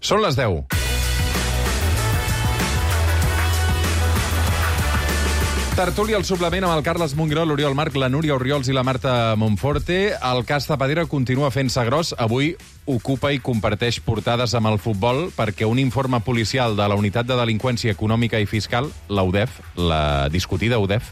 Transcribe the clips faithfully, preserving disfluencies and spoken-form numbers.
Són les deu. Tertúlia al suplement amb el Carles Mongró, l'Oriol Marc, la Núria Orriols i la Marta Monforte. El cas Zapatero continua fent-se gros. Avui ocupa i comparteix portades amb el futbol perquè un informe policial de la Unitat de Delinqüència Econòmica i Fiscal, la U D E F, la discutida U D E F,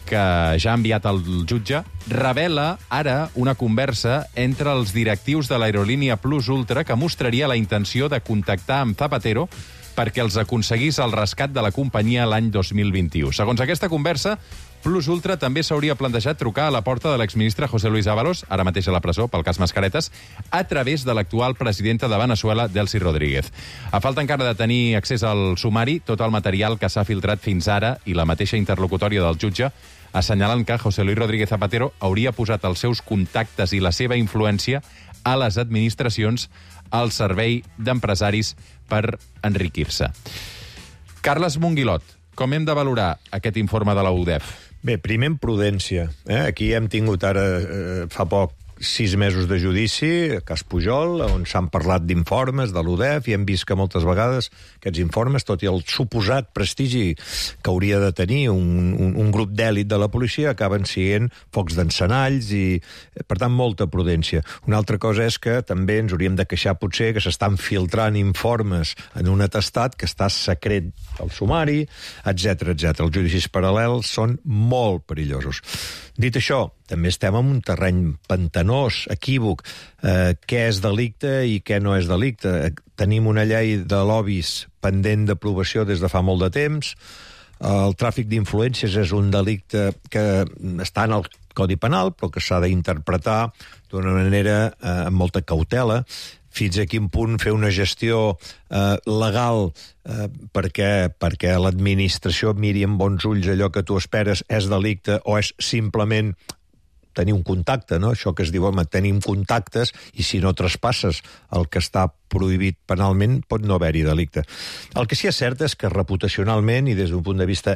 que ja ha enviat al jutge, revela ara una conversa entre els directius de l'aerolínia Plus Ultra que mostraria la intenció de contactar amb Zapatero perquè els aconseguís el rescat de la companyia l'any dos mil vint-i-u. Segons aquesta conversa, Plus Ultra també s'hauria plantejat trucar a la porta de l'exministre José Luis Ábalos, ara mateix a la presó pel cas Mascaretes, a través de l'actual presidenta de Venezuela, Delcy Rodríguez. A falta encara de tenir accés al sumari, tot el material que s'ha filtrat fins ara i la mateixa interlocutòria del jutge assenyalen que José Luis Rodríguez Zapatero hauria posat els seus contactes i la seva influència a les administracions al servei d'empresaris per enriquir-se. Carles Monguilot, com hem de valorar aquest informe de la U D E F? Bé, primer en prudència. Eh? Aquí hem tingut ara, eh, fa poc, sis mesos de judici, cas Pujol, on s'han parlat d'informes de l'U D E F i hem vist que moltes vegades aquests informes, tot i el suposat prestigi que hauria de tenir un, un, un grup d'èlit de la policia, acaben sent focs d'encenalls i, per tant, molta prudència. Una altra cosa és que també ens hauríem de queixar potser que s'estan filtrant informes en un atestat que està secret al sumari, etcètera, etcètera. Els judicis paral·lels són molt perillosos. Dit això, també estem en un terreny pantanós, equívoc. Eh, què és delicte i què no és delicte? Tenim una llei de lobbies pendent d'aprovació des de fa molt de temps. El tràfic d'influències és un delicte que està en el Codi Penal, però que s'ha d'interpretar d'una manera eh, amb molta cautela. Fins a quin punt fer una gestió eh, legal eh, perquè, perquè l'administració miri amb bons ulls allò que tu esperes és delicte o és simplement tenir un contacte, no? Això que es diu, home, tenim contactes i si no traspasses el que està prohibit penalment pot no haver-hi delicte. El que sí que és cert és que reputacionalment i des d'un punt de vista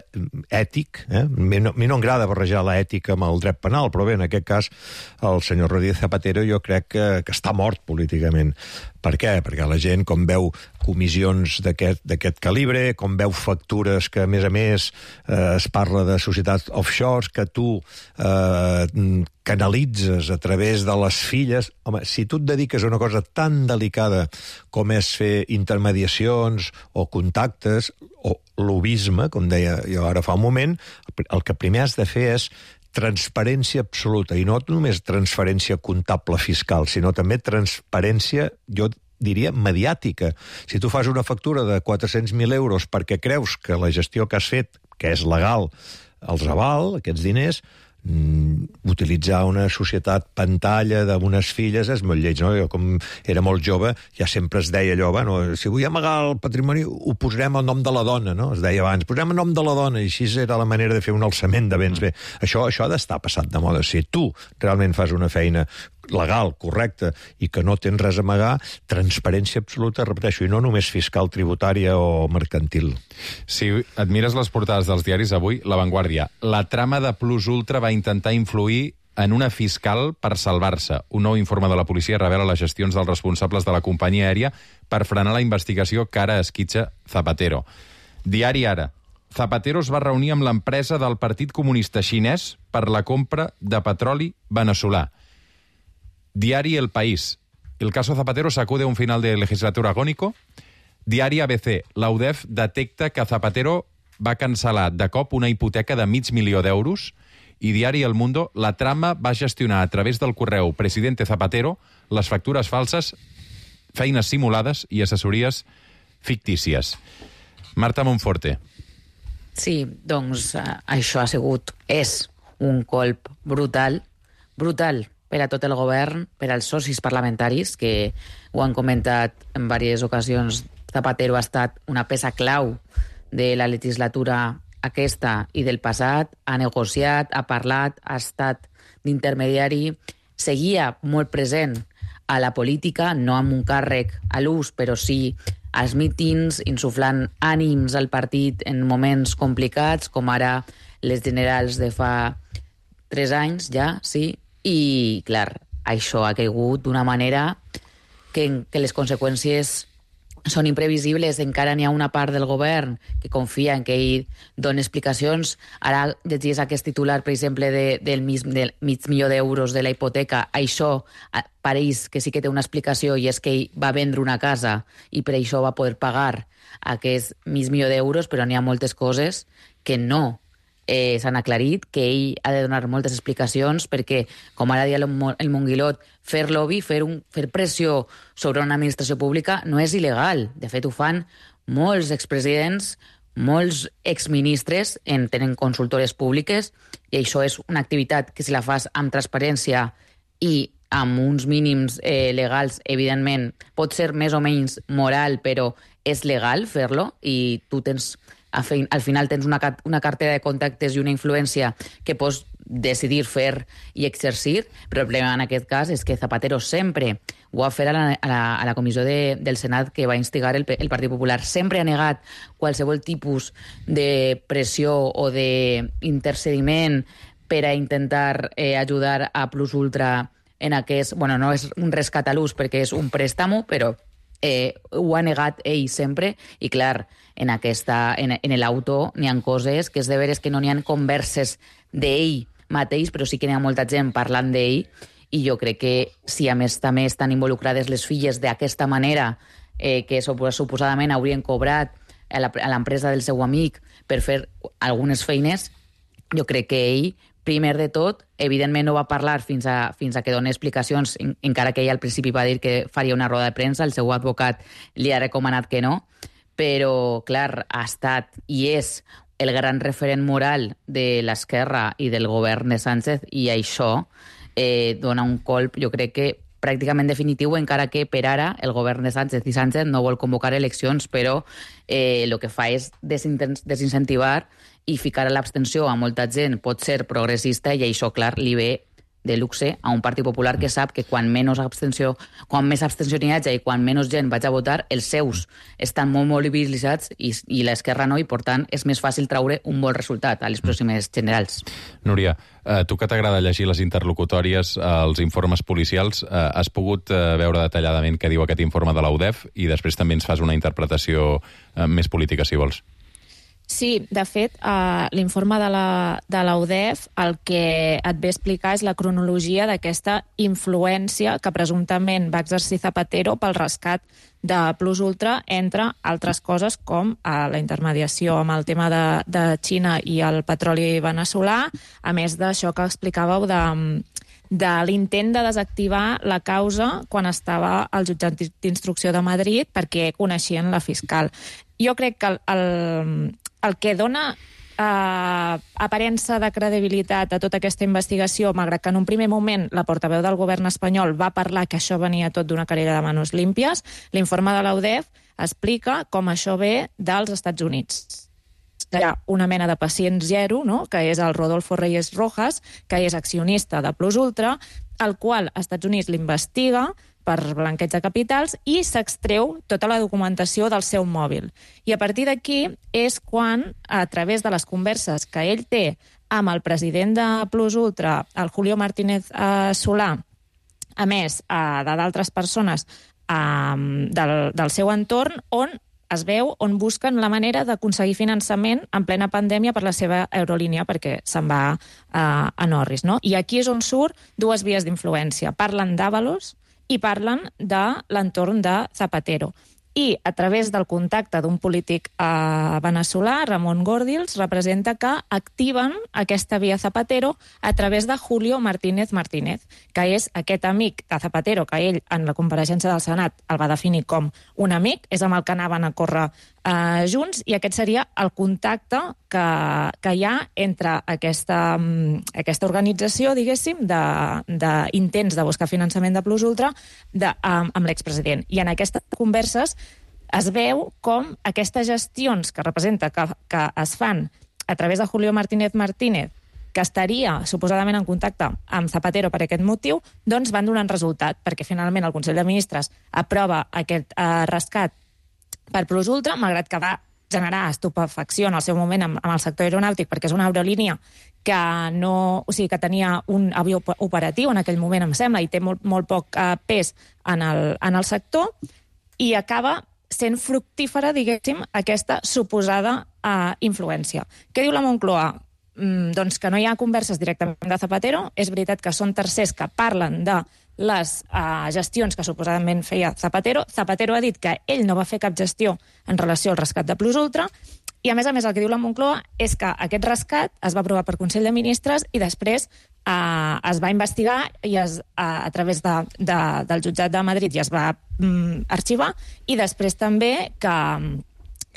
ètic, eh? a mi no, a mi no m'agrada barrejar l'ètica amb el dret penal, però bé, en aquest cas el senyor Rodríguez Zapatero jo crec que, que està mort políticament. Per què? Perquè la gent, com veu comissions d'aquest calibre, com veu factures que, a més a més, eh, es parla de societats offshores, que tu eh, canalitzes a través de les filles... Home, si tu et dediques a una cosa tan delicada com és fer intermediacions o contactes, o lobisme, com deia jo ara fa un moment, el que primer has de fer és transparència absoluta, i no només transferència comptable fiscal, sinó també transparència, jo diria, mediàtica. Si tu fas una factura de quatre-cents mil euros perquè creus que la gestió que has fet, que és legal, els aval, aquests diners, Mm, utilitzar una societat pantalla d'unes filles és molt lleig, no? Jo, com era molt jove, ja sempre es deia allò, bueno, si vull amagar el patrimoni ho posarem al nom de la dona, no? Es deia abans, posarem el nom de la dona, i així era la manera de fer un alçament de béns. Bé, això, això ha d'estar passat de moda. Si tu realment fas una feina legal, correcta, i que no tens res a amagar, transparència absoluta, repeteixo, i no només fiscal, tributària o mercantil. Si et mires les portades dels diaris avui, La Vanguardia, la trama de Plus Ultra va intentar influir en una fiscal per salvar-se. Un nou informe de la policia revela les gestions dels responsables de la companyia aèria per frenar la investigació que ara esquitxa Zapatero. Diari Ara. Zapatero es va reunir amb l'empresa del Partit Comunista Xinès per la compra de petroli veneçolà. Diari El País. El caso Zapatero sacude un final de legislatura agónico. Diari A B C. La U D E F detecta que Zapatero va cancel·lar de cop una hipoteca de mig milió d'euros. I Diari El Mundo. La trama va gestionar a través del correu Presidente Zapatero les factures falses, feines simulades i assessories fictícies. Marta Monforte. Sí, doncs eh, això ha sigut, és un colp brutal, brutal per a tot el govern, per als socis parlamentaris, que ho han comentat en diverses ocasions. Zapatero ha estat una peça clau de la legislatura aquesta i del passat, ha negociat, ha parlat, ha estat d'intermediari, seguia molt present a la política, no amb un càrrec a l'ús, però sí als mítings, insuflant ànims al partit en moments complicats, com ara les generals de fa tres anys ja, sí, i, clar, això ha caigut d'una manera que, que les conseqüències són imprevisibles, encara n'hi ha una part del govern que confia en que ell doni explicacions. Ara llegies aquest titular, per exemple, de, del, mig, del mig milió d'euros de la hipoteca. Això pareix que sí que té una explicació, i és que ell va vendre una casa i per això va poder pagar aquest mig milió d'euros, però n'hi ha moltes coses que no eh, s'han aclarit, que ell ha de donar moltes explicacions, perquè, com ara dia el, el Monguilot, fer lobby, fer, un, fer pressió sobre una administració pública no és il·legal. De fet, ho fan molts expresidents, molts exministres, en tenen consultores públiques, i això és una activitat que, si la fas amb transparència i amb uns mínims eh, legals, evidentment, pot ser més o menys moral, però és legal fer-lo, i tu tens... al final tens una, una cartera de contactes i una influència que pots decidir fer i exercir, però el problema en aquest cas és que Zapatero sempre ho va fer a la, a la, a la comissió de, del Senat que va instigar el, el Partit Popular. Sempre ha negat qualsevol tipus de pressió o d'intercediment per a intentar eh, ajudar a Plus Ultra en aquest... Bueno, no és un rescat a l'ús perquè és un préstamo, però eh, ho ha negat ell sempre, i clar, en aquesta, en, en l'auto n'hi ha coses que és de veres que no n'hi ha converses d'ell mateix, però sí que n'hi ha molta gent parlant d'ell, i jo crec que si a més també estan involucrades les filles d'aquesta manera, eh, que suposadament haurien cobrat a l'empresa del seu amic per fer algunes feines, jo crec que ell, primer de tot, evidentment no va parlar fins a, fins a que doni explicacions, en, encara que ell al principi va dir que faria una roda de premsa, el seu advocat li ha recomanat que no, però, clar, ha estat i és el gran referent moral de l'esquerra i del govern de Sánchez, i això eh, dona un colp, jo crec que pràcticament definitiu, encara que per ara el govern de Sánchez i Sánchez no vol convocar eleccions, però eh, el que fa és desincentivar i ficar a l'abstenció a molta gent, pot ser progressista, i això, clar, li ve de luxe a un Partit Popular que sap que quan menys abstenció, quan més abstenció n'hi hagi i quan menys gent vaig a votar, els seus estan molt mobilitzats i, i l'esquerra no, i per tant és més fàcil traure un bon resultat a les pròximes generals. Núria, eh, tu que t'agrada llegir les interlocutòries, eh, els informes policials, eh, has pogut eh, veure detalladament què diu aquest informe de la U D E F, i després també ens fas una interpretació eh, més política, si vols. Sí, de fet, uh, l'informe de la, de la U D E F el que et ve a explicar és la cronologia d'aquesta influència que presumptament va exercir Zapatero pel rescat de Plus Ultra, entre altres coses com uh, la intermediació amb el tema de, de Xina i el petroli veneçolà, a més d'això que explicàveu de, de l'intent de desactivar la causa quan estava al jutjat d'instrucció de Madrid perquè coneixien la fiscal. Jo crec que el, el, el que dona eh, aparença de credibilitat a tota aquesta investigació, malgrat que en un primer moment la portaveu del govern espanyol va parlar que això venia tot d'una querella de manos límpies, l'informe de la U D E F explica com això ve dels Estats Units. Hi ha una mena de pacient zero, no?, que és el Rodolfo Reyes Rojas, que és accionista de Plus Ultra, el qual als Estats Units l'investiga per blanqueig de capitals i s'extreu tota la documentació del seu mòbil. I a partir d'aquí és quan, a través de les converses que ell té amb el president de Plus Ultra, el Julio Martínez eh, Solà, a més eh, de d'altres persones eh, del, del seu entorn, on es veu on busquen la manera d'aconseguir finançament en plena pandèmia per la seva aerolínia, perquè se'n va eh, a Norris, no? I aquí és on surt dues vies d'influència. Parlen d'Ábalos i parlen de l'entorn de Zapatero. I a través del contacte d'un polític eh, veneçolà, Ramon Gordills, representa que activen aquesta via Zapatero a través de Julio Martínez Martínez, que és aquest amic de Zapatero, que ell en la compareixença del Senat el va definir com un amic, és amb el que anaven a córrer eh, junts, i aquest seria el contacte que, que hi ha entre aquesta, aquesta organització, diguéssim, d'intents de, de buscar finançament de Plus Ultra de, amb, amb l'expresident. I en aquestes converses es veu com aquestes gestions que representa que, que es fan a través de Julio Martínez Martínez, que estaria suposadament en contacte amb Zapatero per aquest motiu, doncs van donant resultat, perquè finalment el Consell de Ministres aprova aquest eh, rescat per Plus Ultra, malgrat que va generar estupefacció en el seu moment amb, amb el sector aeronàutic, perquè és una aerolínia que no, o sigui, que tenia un avió operatiu en aquell moment, em sembla, i té molt, molt poc eh, pes en el, en el sector, i acaba sent fructífera, diguéssim, aquesta suposada uh, influència. Què diu la Moncloa? Mm, doncs que no hi ha converses directament de Zapatero. És veritat que són tercers que parlen de les uh, gestions que suposadament feia Zapatero. Zapatero ha dit que ell no va fer cap gestió en relació al rescat de Plus Ultra. I, a més a més, el que diu la Moncloa és que aquest rescat es va aprovar per Consell de Ministres i després Uh, es va investigar i es, uh, a través de, de, del jutjat de Madrid i es va um, arxivar, i després també que um,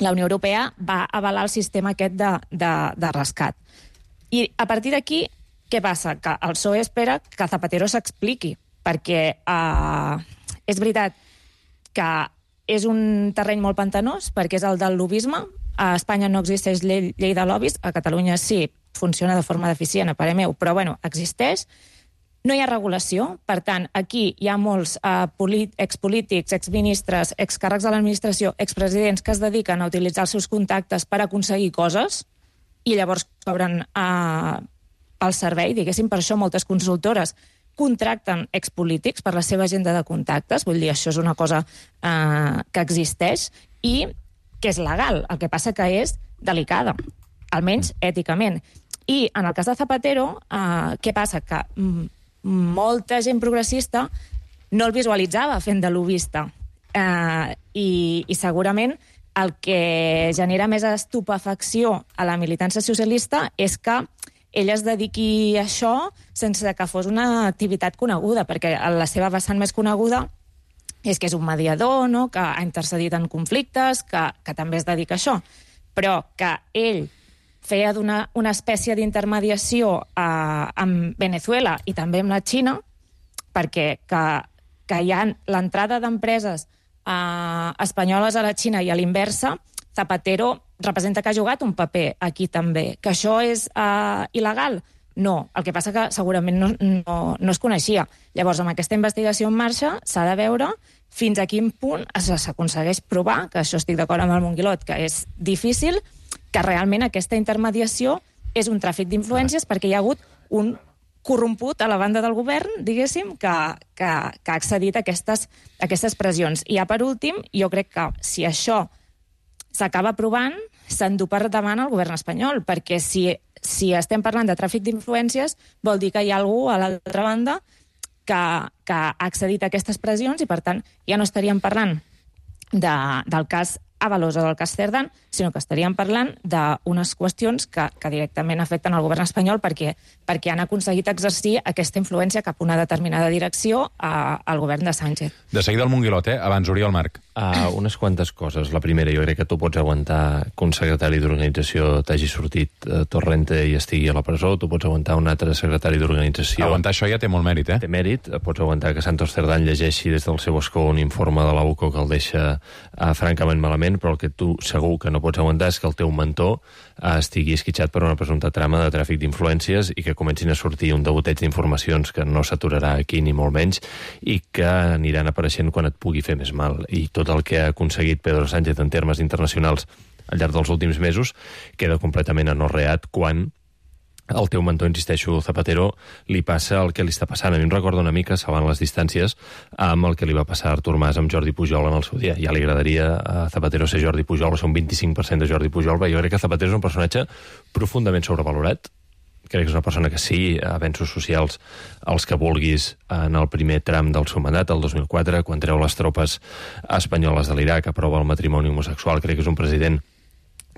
la Unió Europea va avalar el sistema aquest de, de, de rescat. I a partir d'aquí, què passa? Que el P S O E espera que Zapatero s'expliqui, perquè uh, és veritat que és un terreny molt pantanós, perquè és el del lobbisme. A Espanya no existeix llei, llei de lobbies, a Catalunya sí, funciona de forma deficient, a parer meu, però bueno, existeix. No hi ha regulació, per tant, aquí hi ha molts uh, expolítics, exministres, excàrrecs de l'administració, expresidents que es dediquen a utilitzar els seus contactes per aconseguir coses i llavors cobren uh, el servei, diguéssim. Per això moltes consultores contracten expolítics per la seva agenda de contactes, vull dir, això és una cosa uh, que existeix i que és legal, el que passa que és delicada, almenys èticament. I en el cas de Zapatero, eh, què passa? Que mm, molta gent progressista no el visualitzava fent de lobbista. Eh, i, I segurament el que genera més estupefacció a la militància socialista és que ell es dediqui a això sense que fos una activitat coneguda, perquè la seva vessant més coneguda és que és un mediador, no?, que ha intercedit en conflictes, que, que també es dedica a això, però que ell feia d'una una espècie d'intermediació eh, amb Venezuela i també amb la Xina, perquè que, que hi ha l'entrada d'empreses eh, espanyoles a la Xina i a l'inversa, Zapatero representa que ha jugat un paper aquí també. Que això és eh, il·legal? No. El que passa que segurament no, no, no es coneixia. Llavors, amb aquesta investigació en marxa, s'ha de veure fins a quin punt s'aconsegueix provar, que això estic d'acord amb el Monguilot, que és difícil, que realment aquesta intermediació és un tràfic d'influències, perquè hi ha hagut un corromput a la banda del govern, diguéssim, que, que, que ha accedit a aquestes, a aquestes pressions. I ja per últim, jo crec que si això s'acaba aprovant, s'endú per davant el govern espanyol, perquè si, si estem parlant de tràfic d'influències, vol dir que hi ha algú a l'altra banda que, que ha accedit a aquestes pressions i, per tant, ja no estaríem parlant de, del cas Ábalos o del cas Cerdán, sinó que estaríem parlant d'unes qüestions que, que directament afecten el govern espanyol perquè, perquè han aconseguit exercir aquesta influència cap a una determinada direcció a, al govern de Sánchez. De seguida el Monguilot, eh? Abans, Oriol Marc. Uh, unes quantes coses. La primera, jo crec que tu pots aguantar que un secretari d'organització t'hagi sortit uh, Torrente i estigui a la presó, tu pots aguantar un altre secretari d'organització... Aguantar això ja té molt mèrit, eh? Té mèrit. Pots aguantar que Santos Cerdán llegeixi des del seu escó un informe de la U C O que el deixa uh, francament malament, però el que tu segur que no pots aguantar és que el teu mentor uh, estigui esquitxat per una presumpta trama de tràfic d'influències i que comencin a sortir un degoteig d'informacions que no s'aturarà aquí ni molt menys i que aniran apareixent quan et pugui fer més mal. I tot el que ha aconseguit Pedro Sánchez en termes internacionals al llarg dels últims mesos queda completament anorreat quan el teu mentor, insisteixo, Zapatero, li passa el que li està passant. A mi em recorda una mica, salvant les distàncies, amb el que li va passar a Artur Mas amb Jordi Pujol en el seu dia. Ja li agradaria a Zapatero ser Jordi Pujol o ser un vint-i-cinc per cent de Jordi Pujol, però jo crec que Zapatero és un personatge profundament sobrevalorat. Crec que és una persona que sí, avenços socials els que vulguis en el primer tram del seu mandat, el dos mil quatre, quan treu les tropes espanyoles de l'Iraq, aprova el matrimoni homosexual. Crec que és un president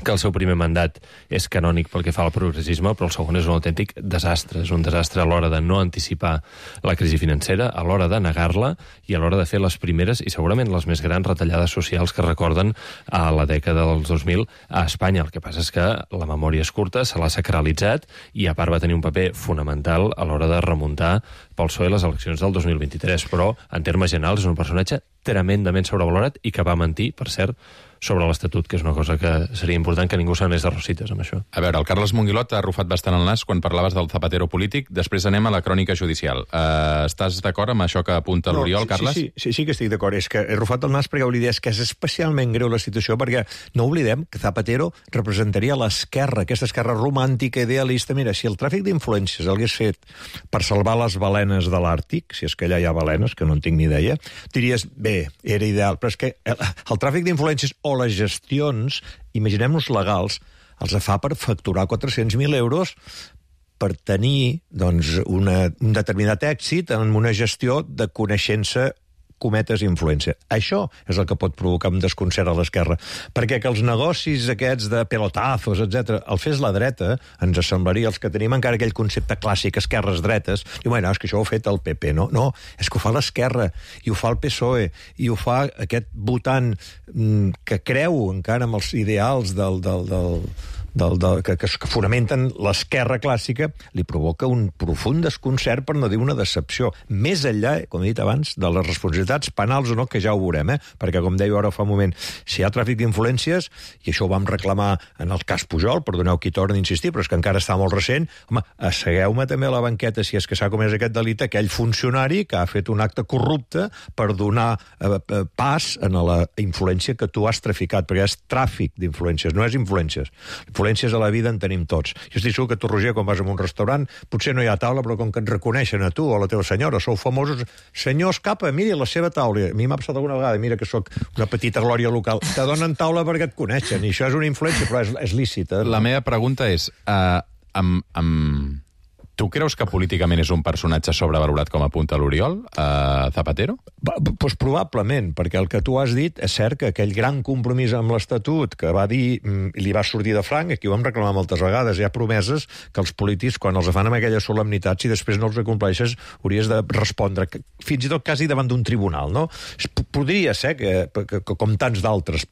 que el seu primer mandat és canònic pel que fa al progressisme, però el segon és un autèntic desastre. És un desastre a l'hora de no anticipar la crisi financera, a l'hora de negar-la i a l'hora de fer les primeres i segurament les més grans retallades socials que recorden a la dècada dels dos mil a Espanya. El que passa és que la memòria és curta, se l'ha sacralitzat i a part va tenir un paper fonamental a l'hora de remuntar pel P S O E les eleccions del dos mil vint-i-tres, però en termes generals és un personatge tremendament sobrevalorat i que va mentir, per cert, sobre l'Estatut, que és una cosa que seria important que ningú s'anés de rosites amb això. A veure, el Carles Monguilot ha arrufat bastant el nas quan parlaves del Zapatero polític. Després anem a la crònica judicial. Uh, estàs d'acord amb això que apunta No, l'Oriol, sí, Carles? Sí, sí, sí, sí que estic d'acord. És que he arrufat el nas perquè volia dir que és especialment greu la situació, perquè no oblidem que Zapatero representaria l'esquerra, aquesta esquerra romàntica, idealista. Mira, si el tràfic d'influències l'hagués fet per salvar les balenes de l'Àrtic, si és que allà hi ha balenes, que no en tinc ni idea, diries, bé, era ideal. Però és que el, el tràfic d'influències o les gestions, imaginem-nos legals, els fa per facturar quatre-cents mil euros per tenir doncs, una, un determinat èxit en una gestió de coneixença cometes influència. Això és el que pot provocar un desconcert a l'esquerra. Perquè que els negocis aquests de pelotazos, etcètera, el fes la dreta, ens semblaria, els que tenim encara aquell concepte clàssic, esquerres-dretes, i bueno, és que això ho ha fet el P P, no? No, és que ho fa l'esquerra, i ho fa el P S O E, i ho fa aquest votant mm, que creu encara en els ideals del... del, del Del, del, que, que fonamenten l'esquerra clàssica, li provoca un profund desconcert, per no dir una decepció. Més enllà, com he dit abans, de les responsabilitats penals o no, que ja ho veurem, eh? Perquè, com deia ara fa un moment, si hi ha tràfic d'influències, i això ho vam reclamar en el cas Pujol, perdoneu qui torna a insistir, però és que encara està molt recent, home, assegueu-me també a la banqueta, si és que s'ha comès aquest delicte, aquell funcionari que ha fet un acte corrupte per donar eh, pas a la influència que tu has traficat, perquè és tràfic d'influències, no és influències. Influències a la vida en tenim tots. Jo estic segur que tu, Roger, quan vas a un restaurant, potser no hi ha taula, però com que et reconeixen a tu o a la teva senyora, sou famosos, senyor Escapa, miri la seva taula. A mi m'ha passat alguna vegada, mira que sóc una petita glòria local. Te donen taula perquè et coneixen, i això és una influència, però és, és lícita. La meva pregunta és, uh, amb, amb... tu creus que políticament és un personatge sobrevalorat, com apunta l'Oriol, uh, Zapatero? Doncs pues probablement, perquè el que tu has dit és cert que aquell gran compromís amb l'Estatut que va dir, i li va sortir de franc, aquí ho vam reclamar moltes vegades, hi ha promeses que els polítics, quan els fan amb aquella solemnitat, si després no els compleixes, hauries de respondre, fins i tot quasi davant d'un tribunal, no? Podria ser que, que, que com tants d'altres,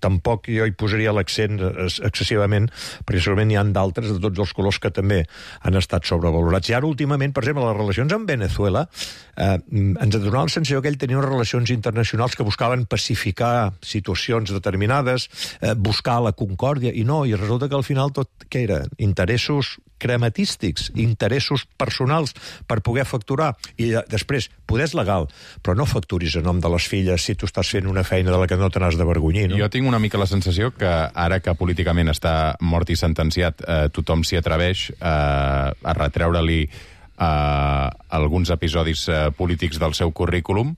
tampoc jo hi posaria l'accent excessivament, perquè segurament hi ha d'altres de tots els colors que també han estat sobrevalorats. I ara, últimament, per exemple, les relacions amb Venezuela, eh, ens ha donat la sensació que ell tenia unes relacions internacionals que buscaven pacificar situacions determinades, eh, buscar la concòrdia, i no, i resulta que al final tot, què era? Interessos crematístics, interessos personals per poder facturar, i després, poder és legal, però no facturis a nom de les filles si tu estàs fent una feina de la que no te n'has d'avergonyir, no? Jo tinc una mica la sensació que ara que políticament està mort i sentenciat, eh, tothom s'hi atreveix eh, a retreure-li eh, alguns episodis eh, polítics del seu currículum,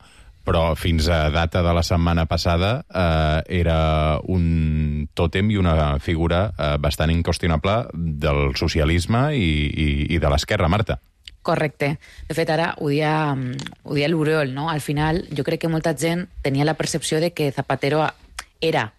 però fins a data de la setmana passada eh, era un tòtem i una figura eh, bastant inqüestionable del socialisme i, i, i de l'esquerra, Marta. Correcte. De fet, ara ho dia, ho dia l'Oriol, no? Al final, jo crec que molta gent tenia la percepció de que Zapatero era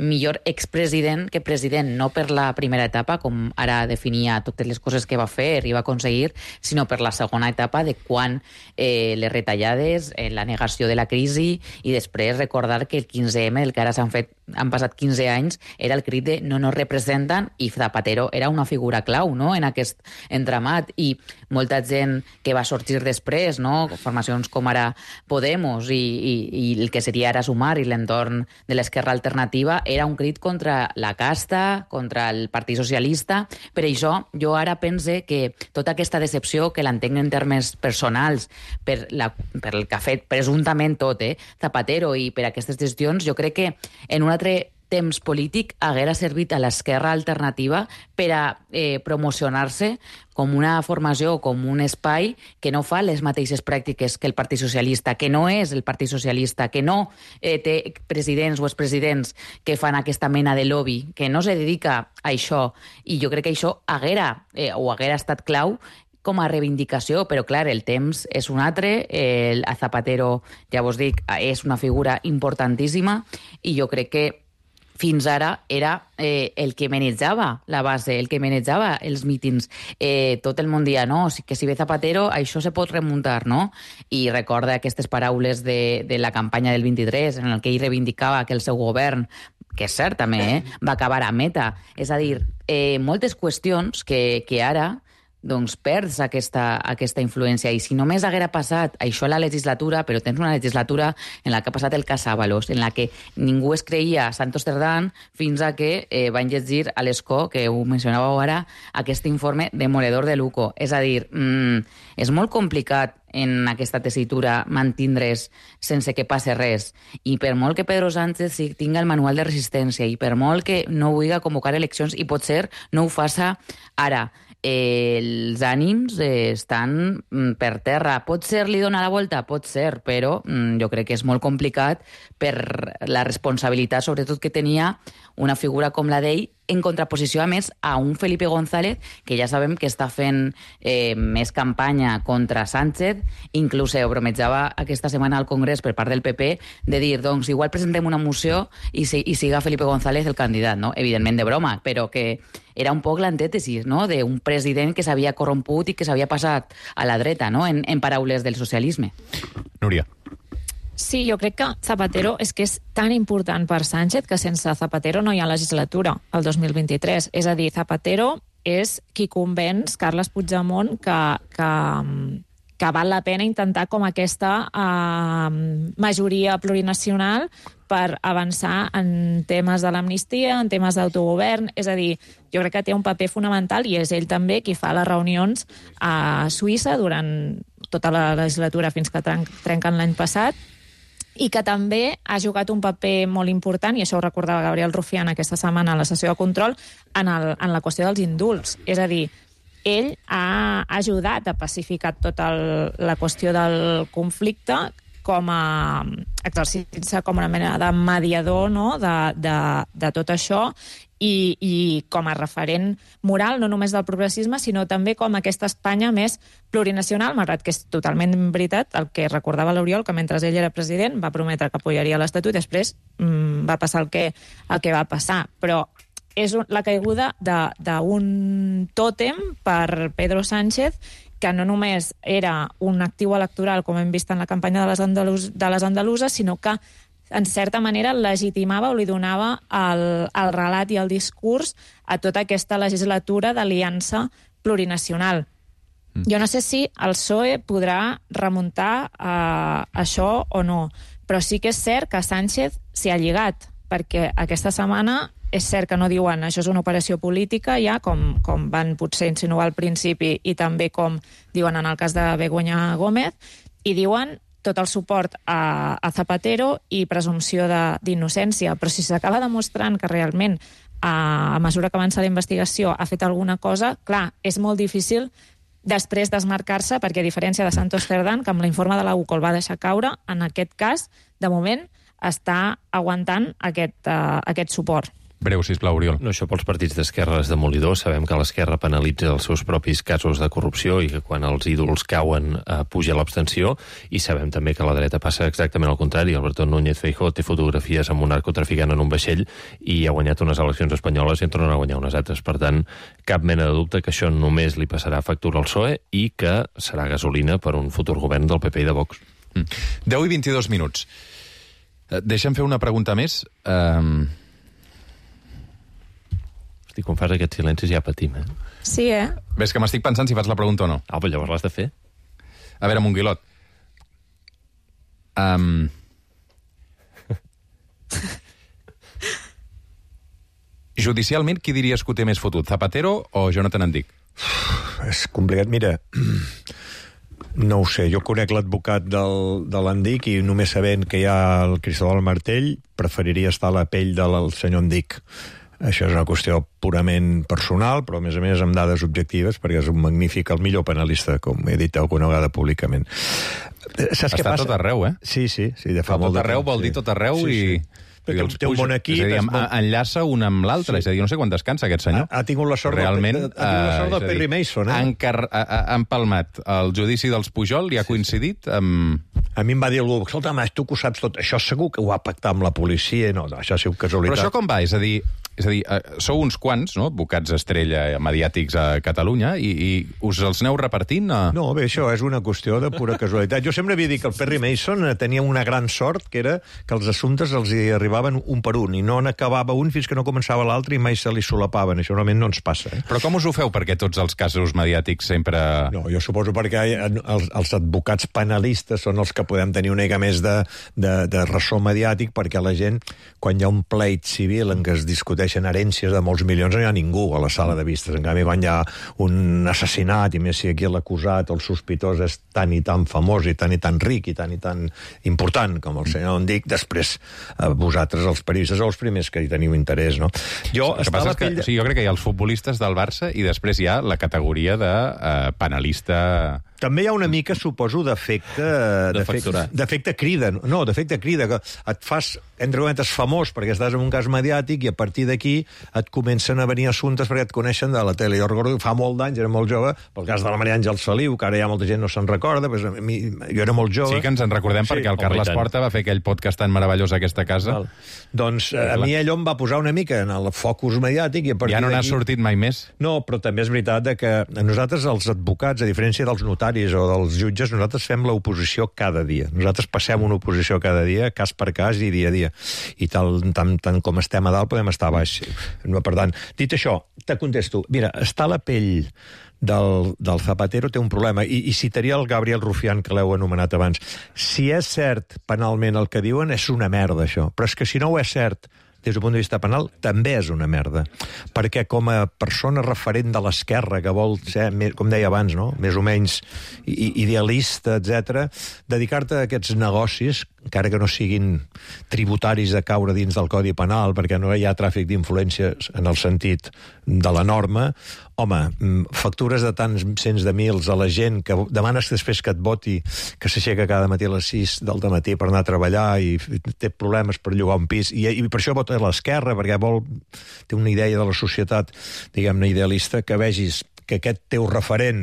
millor expresident que president, no per la primera etapa, com ara definia totes les coses que va fer i va aconseguir, sinó per la segona etapa de quan eh, les retallades, eh, la negació de la crisi, i després recordar que el quinze eme, el que ara s'han fet, han passat quinze anys, era el crit de no nos representen, i Zapatero era una figura clau, no?, en aquest entramat, i molta gent que va sorgir després, no?, formacions com ara Podemos i, i, i el que seria ara Sumar i l'entorn de l'esquerra alternativa, era un crit contra la casta, contra el Partit Socialista. Per això jo ara pense que tota aquesta decepció, que l'entenc en termes personals, per, la, per el que ha fet presumptament tot, eh, Zapatero, i per aquestes gestions, jo crec que en un altre temps polític haguera servit a l'esquerra alternativa per a eh, promocionar-se com una formació, com un espai que no fa les mateixes pràctiques que el Partit Socialista, que no és el Partit Socialista, que no eh, té presidents o expresidents que fan aquesta mena de lobby, que no se dedica a això. I jo crec que això haguera, eh, o haguera estat clau com a reivindicació, però clar, el temps és un altre, el Zapatero, ja vos dic, és una figura importantíssima, i jo crec que fins ara era eh, el que manejava la base, el que manejava els mítings. Eh, tot el món dia, no? Que si ve Zapatero, això se pot remuntar, no? I recorda aquestes paraules de, de la campanya del vint-i-tres, en el que ell reivindicava que el seu govern, que és cert també, eh, va acabar a meta. És a dir, eh, moltes qüestions que, que ara doncs perds aquesta, aquesta influència. I si només haguera passat això a la legislatura, però tens una legislatura en la que ha passat el cas Ábalos, en la que ningú es creia a Santos Cerdán fins a que eh, van llegir a l'Escó, que ho mencionàveu ara, aquest informe demoledor de Luco. És a dir, mmm, és molt complicat en aquesta tessitura mantindre's sense que passe res. I per molt que Pedro Sánchez tinga el manual de resistència i per molt que no vulgui convocar eleccions i potser no ho faça ara, eh, els ànims eh, estan mm, per terra. Pot ser li dona la volta? Pot ser, però mm, jo crec que és molt complicat per la responsabilitat, sobretot que tenia una figura com la d'ell, en contraposició, a més, a un Felipe González, que ja sabem que està fent eh, més campanya contra Sánchez, inclús ho bromejava aquesta setmana al Congrés per part del P P, de dir, doncs, igual presentem una moció i, si, i siga Felipe González el candidat, no? Evidentment de broma, però que era un poc l'antètesis, no?, d'un president que s'havia corromput i que s'havia passat a la dreta, no?, en, en paraules del socialisme. Núria. Sí, jo crec que Zapatero és que és tan important per Sánchez que sense Zapatero no hi ha legislatura el dos mil vint-i-tres. És a dir, Zapatero és qui convenç Carles Puigdemont que, que, que val la pena intentar com aquesta eh, majoria plurinacional per avançar en temes de l'amnistia, en temes d'autogovern. És a dir, jo crec que té un paper fonamental i és ell també qui fa les reunions a Suïssa durant tota la legislatura fins que trenquen l'any passat, i que també ha jugat un paper molt important, i això ho recordava Gabriel Rufián aquesta setmana a la sessió de control, en, el, en la qüestió dels indults. És a dir, ell ha ajudat a pacificar tota el, la qüestió del conflicte com a exercint-se com una mena de mediador, no?, de, de, de tot això, i, i com a referent moral, no només del progressisme, sinó també com aquesta Espanya més plurinacional, malgrat que és totalment veritat el que recordava l'Oriol, que mentre ell era president va prometre que apoyaria l'Estatut i després mmm, va passar el que, el que va passar. Però és la caiguda d'un tòtem per Pedro Sánchez, que no només era un actiu electoral, com hem vist en la campanya de les, andalus, de les andaluses, sinó que en certa manera legitimava o li donava el, el relat i el discurs a tota aquesta legislatura d'aliança plurinacional. Mm. Jo no sé si el P S O E podrà remuntar a això o no, però sí que és cert que Sánchez s'hi ha lligat, perquè aquesta setmana és cert que no diuen això és una operació política ja, com, com van potser insinuar al principi i també com diuen en el cas de Begoña Gómez, i diuen tot el suport a, a Zapatero i presumpció d'innocència. Però si s'acaba demostrant que realment, a, a mesura que avança la investigació, ha fet alguna cosa, clar, és molt difícil després desmarcar-se, perquè a diferència de Santos Cerdán, que amb l'informe de la U C O L va deixar caure, en aquest cas, de moment, està aguantant aquest, uh, aquest suport. Breu, sisplau, Oriol. No, això pels partits d'esquerra és demolidor. Sabem que l'esquerra penalitza els seus propis casos de corrupció i que quan els ídols cauen eh, puja l'abstenció, i sabem també que la dreta passa exactament al contrari. Alberto Núñez Feijóo té fotografies amb un narcotraficant en un vaixell i ha guanyat unes eleccions espanyoles i en tornen a guanyar unes altres. Per tant, cap mena de dubte que això només li passarà factura al P S O E i que serà gasolina per un futur govern del P P i de Vox. Mm. deu i vint-i-dos minuts. Deixa'm fer una pregunta més. Um... Hosti, quan fas aquests silencis ja patim, eh? Sí, eh? Ves que m'estic pensant si fas la pregunta o no. Ah, però llavors l'has de fer. A veure, Monguilot. Um... Judicialment, qui diries que ho té més fotut? Zapatero o Jonathan Andic? És complicat. Mira, no ho sé. Jo conec l'advocat del, de l'Andic i només sabent que hi ha el Cristóbal Martell preferiria estar a la pell del senyor Andic. Això és una qüestió purament personal, però a més a més amb dades objectives, perquè és un magnífic, el millor penalista, com he dit alguna vegada públicament. Saps Està tot arreu, eh? Sí, sí, sí, de fa tot molt de arreu temps, vol sí. dir tot arreu sí, i... sí. Perquè té un bon equip... És a dir, molt... enllaça un amb l'altre, sí. És a dir, no sé quan descansa aquest senyor. Ha, ha tingut la sort, Realment, del, ha tingut la sort del Perry Mason, eh? Han, car... han palmat el judici dels Pujol i ha coincidit amb... A mi em va dir algú, escolta, mas, tu que ho saps tot, això segur que ho ha pactat amb la policia, no, això ha sigut casualitat. Però això com va? És a dir, És a dir, sou uns quants, no?, advocats estrella mediàtics a Catalunya, i, i us els aneu repartint? A... No, bé, això és una qüestió de pura casualitat. Jo sempre havia dit que el Perry Mason tenia una gran sort, que era que els assumptes els hi arribaven un per un, i no n'acabava un fins que no començava l'altre i mai se li solapaven. Això normalment no ens passa. Eh? Però com us ho feu perquè tots els casos mediàtics sempre... No, jo suposo perquè els, els advocats penalistes són els que podem tenir una mica més de, de, de ressò mediàtic, perquè la gent, quan hi ha un pleit civil en què es discuteixen herències de molts milions, no hi ha ningú a la sala de vistes. En canvi, quan hi ha un assassinat, i més si aquí l'acusat, el sospitós, és tan i tan famós i tan i tan ric i tan i tan important com el senyor Endic, després eh, vosaltres, els periodistes, sou els primers que hi teniu interès, no? Jo, el que passa és que, o sigui, jo crec que hi ha els futbolistes del Barça i després hi ha la categoria de eh, penalista... També hi ha una mica, suposo, d'efecte... D'efecte crida. No, d'efecte crida, que et fas, entre cometes, famós perquè estàs en un cas mediàtic i a partir d'aquí et comencen a venir assumptes perquè et coneixen de la tele. Jo recordo que fa molt d'anys, era molt jove, pel cas de la Maria Àngels Feliu, que ara ja molta gent no se'n recorda, però a mi, jo era molt jove. Sí que ens en recordem, sí, perquè el Carles Porta va fer aquell podcast tan meravellós a aquesta casa. Val. Doncs a mi allò em va posar una mica en el focus mediàtic i a partir ja no n'ha d'aquí... sortit mai més? No, però també és veritat que nosaltres, els advocats, a diferència dels notaris o dels jutges, nosaltres fem l'oposició cada dia. Nosaltres passem una oposició cada dia, cas per cas i dia a dia. I tal, tant, tant com estem a dalt podem estar a baix. No, per tant, dit això, te contesto. Mira, està a la pell del, del Zapatero té un problema, i, i citaria el Gabriel Rufián, que l'heu anomenat abans. Si és cert penalment el que diuen, és una merda, això. Però és que si no ho és cert des del punt de vista penal, també és una merda. Perquè com a persona referent de l'esquerra, que vol ser, com deia abans, no?, més o menys idealista, etcètera, dedicar-te a aquests negocis, encara que no siguin tributaris de caure dins del Codi Penal, perquè no hi ha tràfic d'influències en el sentit de la norma, home, factures de tants cents de mils a la gent que demanes després que et voti, que s'aixeca cada matí a les sis del dematí per anar a treballar i té problemes per llogar un pis, i, i per això vota a l'esquerra, perquè vol, té una idea de la societat, diguem-ne, idealista, que vegis que aquest teu referent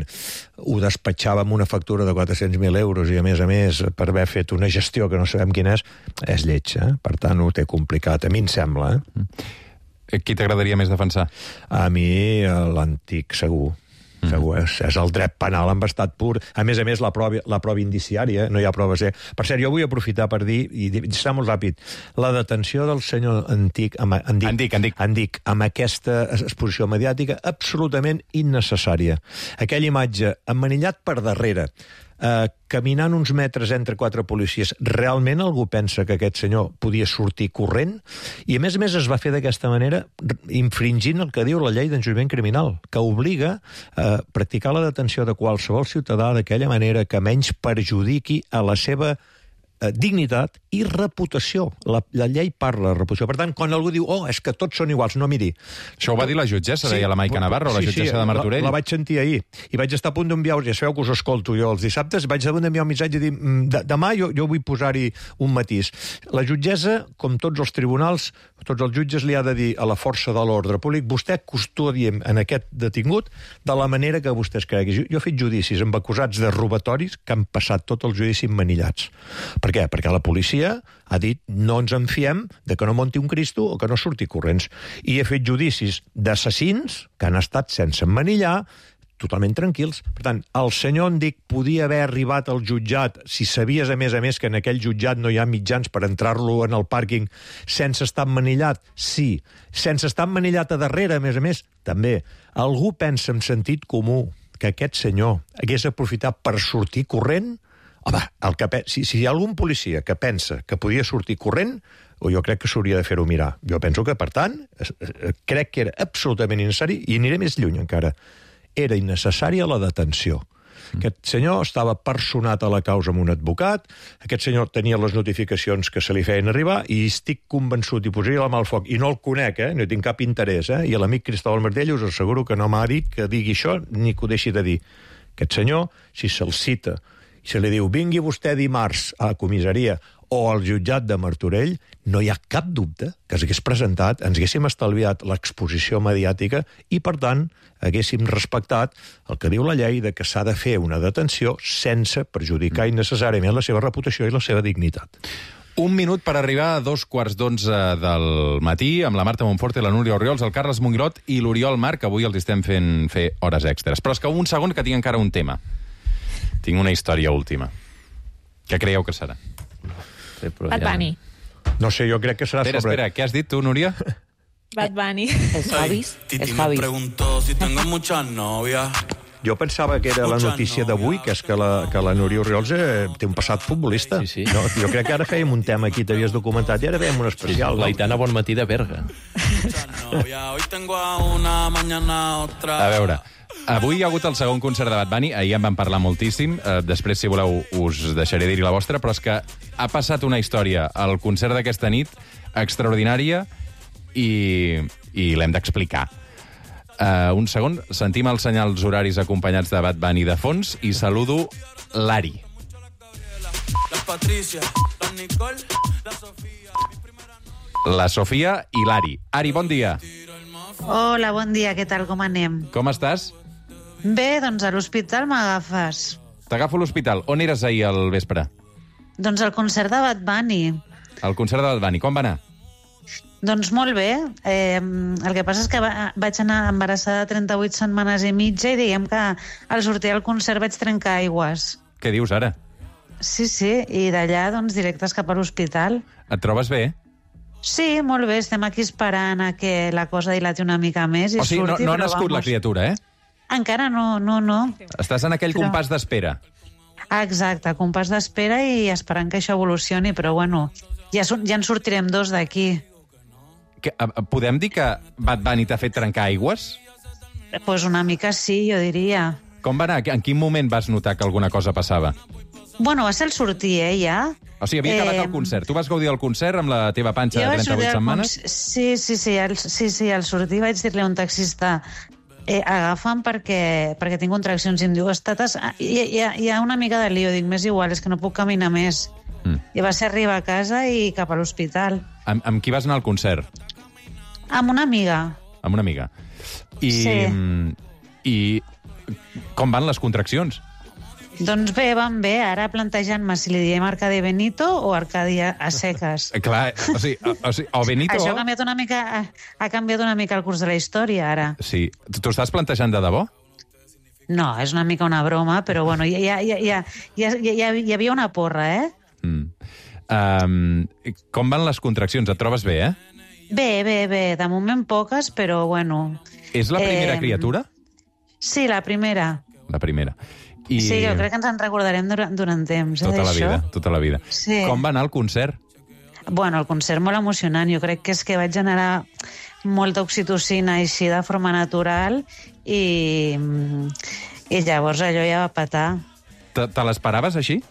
ho despatxava amb una factura de quatre-cents mil euros i, a més a més, per haver fet una gestió que no sabem quina és, és lleig, eh? Per tant, ho té complicat. A mi em sembla, eh? Qui t'agradaria més defensar? A mi, l'antic, segur. Mm. Segur, és, és el dret penal en estat pur. A més a més, la prova, la prova indiciària, no hi ha proves. Eh? Per cert, jo vull aprofitar per dir, i serà molt ràpid, la detenció del senyor Antic, amb, Andic, Andic, Andic. Andic, amb aquesta exposició mediàtica absolutament innecessària. Aquella imatge emmanillat per darrere, eh, caminant uns metres entre quatre policies, realment algú pensa que aquest senyor podia sortir corrent? I a més a més es va fer d'aquesta manera infringint el que diu la llei d'enjudiciament criminal, que obliga a practicar la detenció de qualsevol ciutadà d'aquella manera que menys perjudiqui a la seva eh, dignitat i reputació. La, la llei parla de reputació. Per tant, quan algú diu, oh, és que tots són iguals, no, miri... Això ho va dir la jutgessa, sí, deia la Maica Navarro, la sí, jutgessa sí, de Martorell. La, la vaig sentir ahir, i vaig estar a punt d'enviar, ja sabeu que us escolto jo els dissabtes, vaig a punt d'enviar un missatge i dir, de, demà jo, jo vull posar-hi un matís. La jutgessa, com tots els tribunals, tots els jutges li ha de dir a la força de l'ordre públic, vostè custodiem en aquest detingut de la manera que vostès creguin. Jo, jo he fet judicis amb acusats de robatoris que han passat tot el judici emmanillats. Per què? Perquè la policia ha dit no ens en fiem de que no monti un Cristo o que no surti corrents. I he fet judicis d'assassins que han estat sense emmanillar, totalment tranquils. Per tant, el senyor Endic podia haver arribat al jutjat, si sabies, a més a més, que en aquell jutjat no hi ha mitjans per entrar-lo en el pàrquing sense estar emmanillat? Sí. Sense estar emmanillat a darrere, a més a més? També. Algú pensa en sentit comú que aquest senyor hagués aprofitat per sortir corrent? Home, el que, si, si hi ha algun policia que pensa que podia sortir corrent, o jo crec que s'hauria de fer-ho mirar. Jo penso que, per tant, crec que era absolutament innecessari, i aniré més lluny encara. Era innecessària la detenció. Aquest senyor estava personat a la causa amb un advocat, aquest senyor tenia les notificacions que se li feien arribar, i estic convençut, i posaria la mà al foc, i no el conec, eh? No tinc cap interès, eh? I l'amic Cristóbal Martell us asseguro que no m'ha dit que digui això, ni que ho deixi de dir. Aquest senyor, si se'l cita, i se li diu, vingui vostè dimarts a la comissaria o al jutjat de Martorell, no hi ha cap dubte que s'hagués presentat, ens haguéssim estalviat l'exposició mediàtica i, per tant, haguéssim respectat el que diu la llei de que s'ha de fer una detenció sense perjudicar innecessàriament la seva reputació i la seva dignitat. Un minut per arribar a dos quarts d'onze del matí amb la Marta Monforte, la Núria Orriols, el Carles Mongrot i l'Oriol Marc, que avui els estem fent fer hores extres. Però és que un segon que tinc encara un tema. Tinc una història última. Què creieu que serà? Sí, però Bad ja- Bunny. No sé, jo crec que serà Espera, sobre... espera, què has dit tu, Núria? Bad Bunny. Els Javis, Titi els me Javis. preguntó si tengo muchas novias. Jo pensava que era la notícia d'avui, que és que la, que la Núria Orriols eh, té un passat futbolista. Sí, sí. No, jo crec que ara fèiem un tema aquí, t'havies documentat, i ara fèiem un especial. L'Aitana Bonmatí de Berga. Muchas novias. Hoy tengo a una, mañana otra. A veure, avui hi ha hagut el segon concert de Bad Bunny, ahir en vam parlar moltíssim, eh, després, si voleu, us deixaré dir-hi la vostra, però és que ha passat una història al concert d'aquesta nit extraordinària i, i l'hem d'explicar. Uh, un segon, sentim els senyals horaris acompanyats de Bad Bunny de fons i saludo l'Ari. La Patricia, la Nicole, la Sofía. La Sofia i l'Ari. Ari, bon dia. Hola, bon dia, què tal, com anem? Com estàs? Bé, doncs a l'hospital m'agafes. T'agafo a l'hospital. On eres ahir al vespre? Doncs al concert de Bad Bunny. Al concert de Bad Bunny. Com va anar? Doncs molt bé. Eh, el que passa és que va, vaig anar embarassada trenta-vuit setmanes i mitja i diguem que al sortir al concert vaig trencar aigües. Què dius ara? Sí, sí, i d'allà doncs directes cap a l'hospital. Et trobes bé? Sí, molt bé, estem aquí esperant a que la cosa dilati una mica més i O sigui, no, surti, no ha però nascut la vamos. criatura, eh? Encara no, no, no. Estàs en aquell Però- compàs d'espera. Ah, exacte, compàs d'espera i esperant que això evolucioni, però bueno, ja, sur- ja en sortirem dos d'aquí. Que, eh, podem dir que Bad Bunny t'ha fet trencar aigües? Pues una mica sí, jo diria. Com va anar? En quin moment vas notar que alguna cosa passava? Bueno, va ser el sortir, eh, ja. O sigui, havia acabat Eh, el concert. Tu vas gaudir del concert amb la teva panxa Jo de vaig sortir trenta-vuit al setmanes? conc- Sí, sí, sí, al, sí, sí, al sortir vaig dir-li a un taxista eh, agafa'm perquè, perquè tinc contraccions. I em diu, estates... Ah, hi, hi, ha- hi ha una mica de lío. Dic, més igual, és que no puc caminar més. Mm. I va ser arribar a casa i cap a l'hospital. Amb, amb qui vas anar al concert? Amb una amiga. Amb una amiga. I, Sí. I com van les contraccions? Doncs bé, van bé. Ara plantejant-me si li diem Arcadi Benito o Arcadi a, a seques. Eh, Clar, o sigui, o, o, sigui, o Benito... Això ha canviat una mica, ha, ha canviat una mica el curs de la història, ara. Sí. T'ho estàs plantejant de debò? No, és una mica una broma, però bueno, ja, ja, ja, ja, ja, ja, hi havia una porra, eh? Mm. Um, com van les contraccions? Et trobes bé, eh? Bé, bé, bé, de moment poques, però bueno... És la primera Eh, criatura? Sí, la primera. La primera. I Sí, jo crec que ens en recordarem durant, durant temps, eh, tota la d'això. vida, tota la vida. Sí. Com va anar el concert? Bueno, el concert molt emocionant. Jo crec que és que vaig generar molta oxitocina així de forma natural i, i llavors allò ja va petar. Te, te l'esperaves així?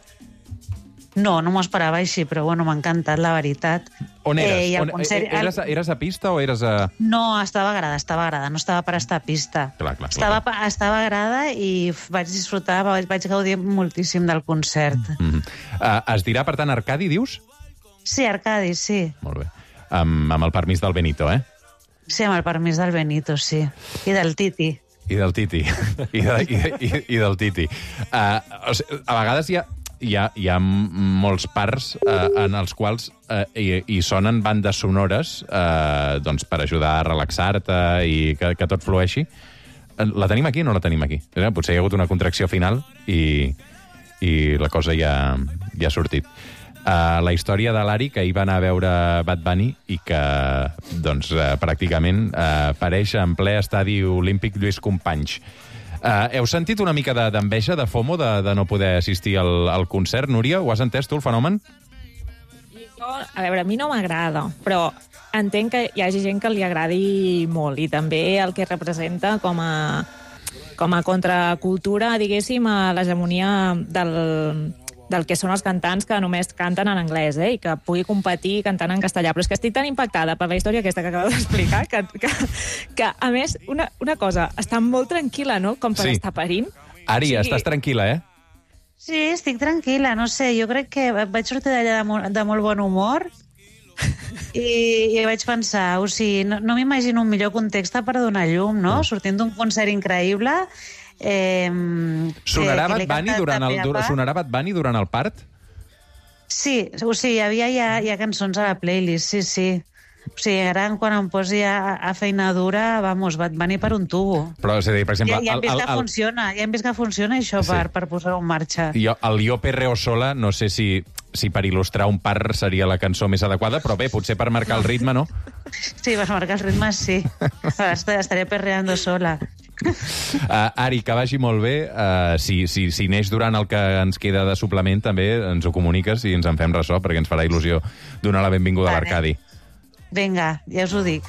No, no m'ho esperava així, però bueno, m'ha encantat, la veritat. On eres? Eh, i el On, concert, eres, eres a pista o eres a... No, estava a grada, estava a grada, no estava per estar a pista. Clar, clar, clar. Estava, pa- estava a grada i f- vaig disfrutar, vaig, vaig gaudir moltíssim del concert. Mm -hmm. uh, es dirà, per tant, Arcadi, dius? Sí, Arcadi, sí. Molt bé. Amb, amb el permís del Benito, eh? Sí, amb el permís del Benito, sí. I del Titi. I del Titi. I, de, i, i, i del Titi. Uh, o sigui, a vegades hi ha, hi ha, hi ha molts parts uh, en els quals uh, hi, hi sonen bandes sonores uh, doncs per ajudar a relaxar-te i que, que tot flueixi. Uh, La tenim aquí o no la tenim aquí? Eh, Potser hi ha hagut una contracció final i, i la cosa ja, ja ha sortit. Uh, la història de l'Ari, que hi va anar a veure Bad Bunny i que, doncs, uh, pràcticament uh, apareix en ple estadi olímpic Lluís Companys. Uh, heu sentit una mica de- d'enveja, de FOMO, de, de no poder assistir al, al concert? Núria, ho has entès tu, el fenomen? Jo, a veure, a mi no m'agrada, però entenc que hi hagi gent que li agradi molt i també el que representa com a, com a contracultura, diguéssim, a l'hegemonia del, del que són els cantants que només canten en anglès, eh? I que pugui competir cantant en castellà. Però és que estic tan impactada per la història aquesta que acabo d'explicar que, que, que, a més, una, una cosa, està molt tranquil·la, no?, com per Sí. estar parint. Ari, Sí. estàs tranquil·la, eh? Sí, estic tranquil·la, no sé, jo crec que vaig sortir d'allà de, mo- de molt bon humor i, i vaig pensar, o sigui, no, no m'imagino un millor context per donar llum, no? Sortint d'un concert increïble... Eh, Sonarà que- que Bad l'he Bunny cantat durant el, també a dur, part. sonarà Bad Bunny durant el part? Sí, o sigui, hi havia ja, ja cançons a la playlist, sí, sí. O sigui, ara quan em posi a, a feina dura, vamos, Bad Bunny per un tubo. Però, és a dir, per exemple... Ja, ja hem vist el, que el, funciona, ja hem vist que funciona això Sí. per, per posar-ho en marxa. Jo, el Yo Perreo Sola, no sé si, si per il·lustrar un par seria la cançó més adequada, però bé, potser per marcar el ritme, no? Sí, per marcar els ritmes, sí. Estaré perreando sola. Uh, Ari, que vagi molt bé. Uh, si, si, si neix durant el que ens queda de suplement, també ens ho comuniques i ens en fem ressò, perquè ens farà il·lusió donar la benvinguda Vale. a l'Arcadi. Vinga, ja us ho dic.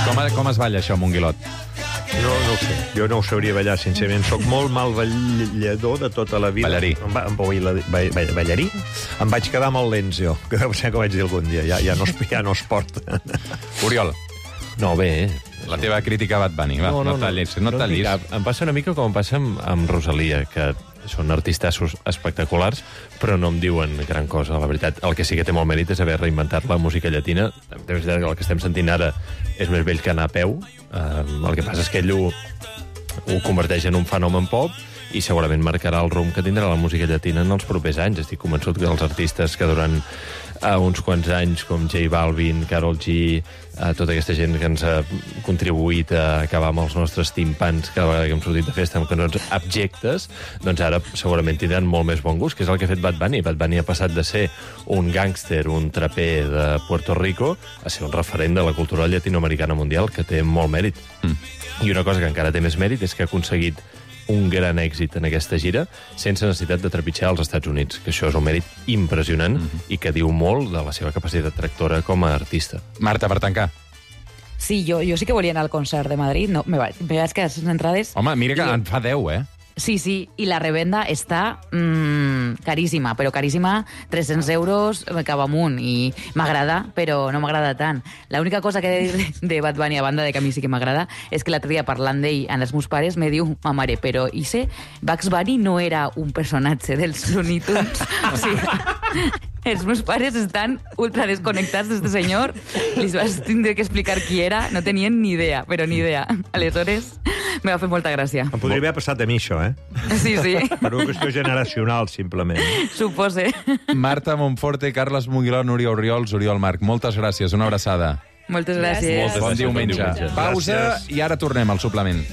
Com, com es balla això, Monguilot? No, no ho sé. Jo no ho sabria ballar, sincerament. Soc molt mal ballador de tota la vida. Ballarí. Em va, em baila, ball, ballarí? Em vaig quedar molt lents, jo. Que no sé què vaig dir algun dia. Ja, ja, no, es, ja no es porta. Oriol, No, bé, eh? la teva crítica a Bad Bunny. Va, no, no, no tallis. No, no tallis. Cap. Em passa una mica com em passa amb, amb Rosalia, que són artistassos espectaculars, però no em diuen gran cosa, la veritat. El que sí que té molt mèrit és haver reinventat la música llatina. És veritat que el que estem sentint ara és més vell que anar a peu. Uh, el que passa és que ell ho, ho converteix en un fenomen pop i segurament marcarà el rumb que tindrà la música llatina en els propers anys. Estic convençut que els artistes que durant uh, uns quants anys, com J Balvin, Karol G, uh, tota aquesta gent que ens ha contribuït a acabar amb els nostres timpans cada vegada que hem sortit de festa amb cançons abjectes, doncs ara segurament tindran molt més bon gust, que és el que ha fet Bad Bunny. Bad Bunny ha passat de ser un gàngster, un traper de Puerto Rico, a ser un referent de la cultura llatinoamericana mundial, que té molt mèrit. Mm. I una cosa que encara té més mèrit és que ha aconseguit un gran èxit en aquesta gira sense necessitat de trepitjar als Estats Units, que això és un mèrit impressionant mm-hmm. i que diu molt de la seva capacitat tractora com a artista. Marta, per tancar. Sí, jo, jo sí que volia anar al concert de Madrid. No, me vaig, me vaig quedar sense entrades. Home, mira que I... en fa deu, eh? Sí, sí, i la revenda està mmm, caríssima, però caríssima, tres-cents euros cap amunt, i m'agrada, però no m'agrada tant. L'única cosa que he de dir de Bad Bunny, a banda de que a mi sí que m'agrada, és que l'altre dia parlant d'ell amb els meus pares me diu, ma mare, però Ise, Bugs Bunny no era un personatge dels Looney Tunes? O sigui, els meus pares estan ultra desconnectats d'este senyor, els vas tindre que explicar qui era, no tenien ni idea, però ni idea. Aleshores, me va fer molta gràcia. Em podria haver passat a mi, això, eh? Sí, sí. Per una qüestió generacional, simplement. Supose. Marta Monforte, Carles Monguiló, Núria Oriols, Oriol Marc. Moltes gràcies, una abraçada. Moltes gràcies. Moltes Bon gràcies, diumenge. bon diumenge. Pausa Gràcies. i ara tornem al suplement.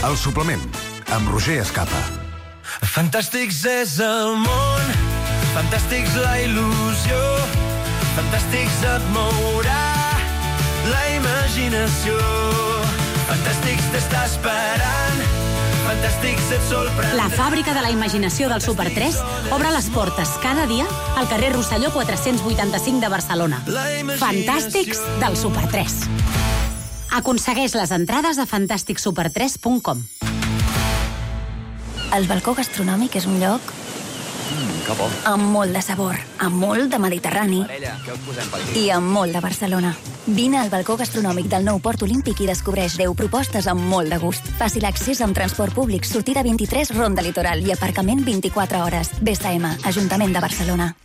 El suplement, amb Roger Escapa. Fantàstics és el món, fantàstics la il·lusió, fantàstics et mourà la imaginació, fantàstics t'està esperant, fantàstics et sorprendrà. La fàbrica de la imaginació del Super tres obre les portes cada dia al carrer Rosselló quatre-cents vuitanta-cinc de Barcelona. Fantàstics del Super tres. Aconsegueix les entrades a fantàstic super tres punt com. El balcó gastronòmic és un lloc Mm, que bo. amb molt de sabor, amb molt de Mediterrani Parella, què us posem per aquí? i amb molt de Barcelona. Vine al balcó gastronòmic del nou Port Olímpic i descobreix deu propostes amb molt de gust. Fàcil accés amb transport públic, sortida vint-i-tres, ronda litoral i aparcament vint-i-quatre hores. B S M, Ajuntament de Barcelona.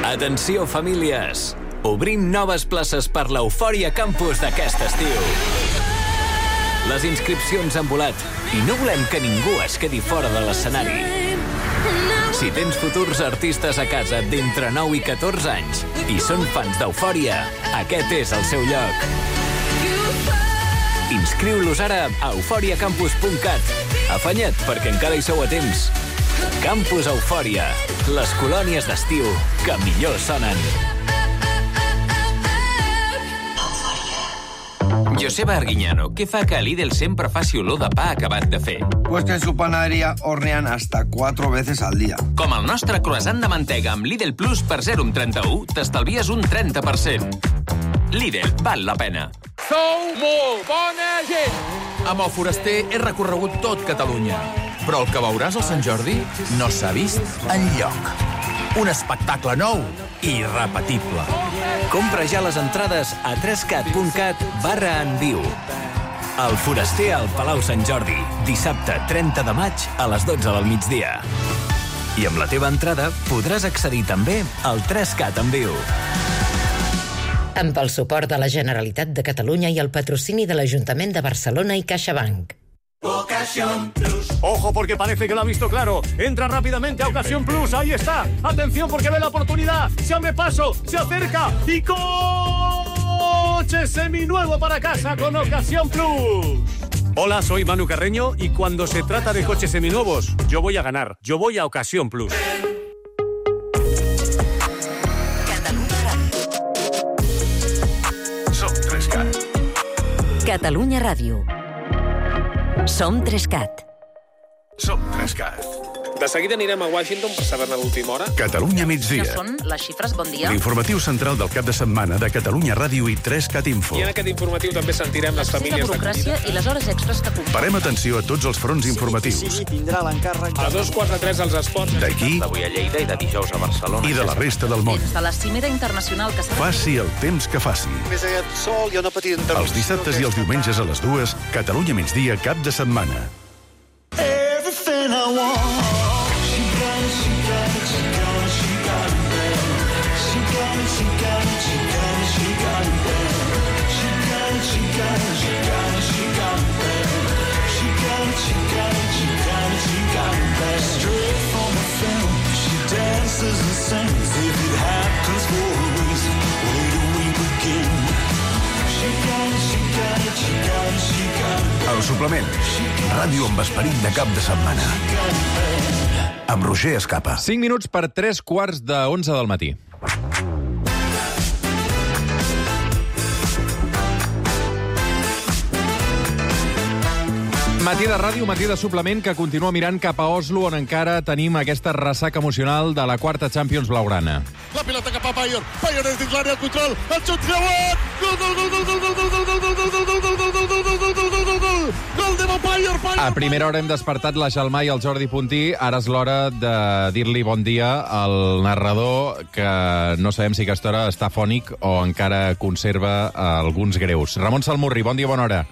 Atenció, famílies! Obrim noves places per l'Eufòria Campus d'aquest estiu. Les inscripcions han volat i no volem que ningú es quedi fora de l'escenari. Si tens futurs artistes a casa d'entre nou i catorze anys i són fans d'Eufòria, aquest és el seu lloc. Inscriu-los ara a eufòria campus punt cat. Afanya't, perquè encara hi sou a temps. Campus Eufòria, les colònies d'estiu que millor sonen. Joseba Arguiñano, què fa que a Lidl sempre faci olor de pa acabat de fer? Pues que en su panadería hornean hasta cuatro veces al día. Com el nostre croissant de mantega amb Lidl Plus per zero coma trenta-u, t'estalvies un trenta per cent. Lidl, val la pena. Sou molt bona gent! Amb el Foraster he recorregut tot Catalunya, però el que veuràs al Sant Jordi no s'ha vist enlloc. Un espectacle nou i irrepetible. Compra ja les entrades a trescat punt cat barra en viu. El Foraster al Palau Sant Jordi, dissabte trenta de maig a les dotze del migdia. I amb la teva entrada podràs accedir també al trescat en viu. Amb el suport de la Generalitat de Catalunya i el patrocini de l'Ajuntament de Barcelona i CaixaBank. Ocasión Plus. Ojo porque parece que lo ha visto claro. Entra rápidamente a Ocasión Plus. Ahí está. Atención porque ve la oportunidad. Se abre paso, se acerca y coche seminuevo para casa con Ocasión Plus. Hola, soy Manu Carreño y cuando se trata de coches seminuevos, yo voy a ganar. Yo voy a Ocasión Plus. Som Trescat. Catalunya Ràdio. Som Trescat. Som Trescat. De seguida anirem a Washington per saber-ne l'última hora. Catalunya migdia. Que són les xifres, bon dia. L'informatiu central del cap de setmana de Catalunya Ràdio i Trescat Info. I en aquest informatiu també sentirem les famílies... La burocràcia i les hores extras que comporten. Parem atenció a tots els fronts informatius. Sí, tindrà l'encàrrec... A dos quarts de tres als esports. D'aquí... D'avui a Lleida i de dijous a Barcelona. I de la resta del món. Des de la cimera internacional que s'ha... Faci el temps que faci. Més aquest sol i una petita interrupció. Els dissabtes i els diumenges a les dues, Catalunya migdia, cap de setmana. Everything I want. She got it, she got it, she got it, she got it bad. She got it, she got it, she got it, she got it bad. She got it, she got it, she got it, she got it bad. She got it, she got it, she got it, she got it bad. Straight from a film, she dances and sings. If it happens for a reason, where do we begin? She got it, she got it, she got it, she got it. El suplement. Ràdio amb esperit de cap de setmana. Amb Roger Escapa. cinc minuts per tres quarts de onze del matí. Matí de ràdio, matí de suplement, que continua mirant cap a Oslo, on encara tenim aquesta ressaca emocional de la quarta Champions blaugrana. La pilota cap a Payor. Payor és dins l'àrea, el control, el xut creuat! Gol, gol, gol, gol, gol, gol, gol, gol, gol, gol, gol, gol, gol, gol, gol, gol, gol, gol, gol de Payor, Payor. A primera hora hem despertat la Xalmà i el Jordi Puntí. Ara és l'hora de dir-li bon dia al narrador, que no sabem si aquesta hora està fònic o encara conserva alguns greus. Ramon Salmurri, bon dia, bona hora.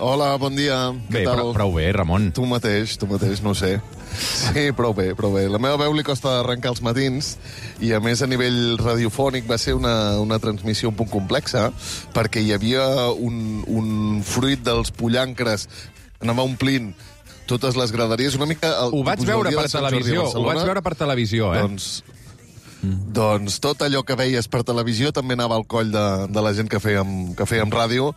Hola, bon dia. Bé, prou, prou bé, Ramon. Tu mateix, tu mateix, no ho sé. Sí, prou bé, prou bé. La meva veu li costa arrencar els matins i, a més, a nivell radiofònic va ser una, una transmissió un punt complexa perquè hi havia un, un fruit dels pollancres que anava omplint totes les graderies. Una mica... El, ho vaig veure per televisió, ho vaig veure per televisió, eh? Doncs... Mm. Doncs tot allò que veies per televisió també anava al coll de, de la gent que fèiem, que fèiem ràdio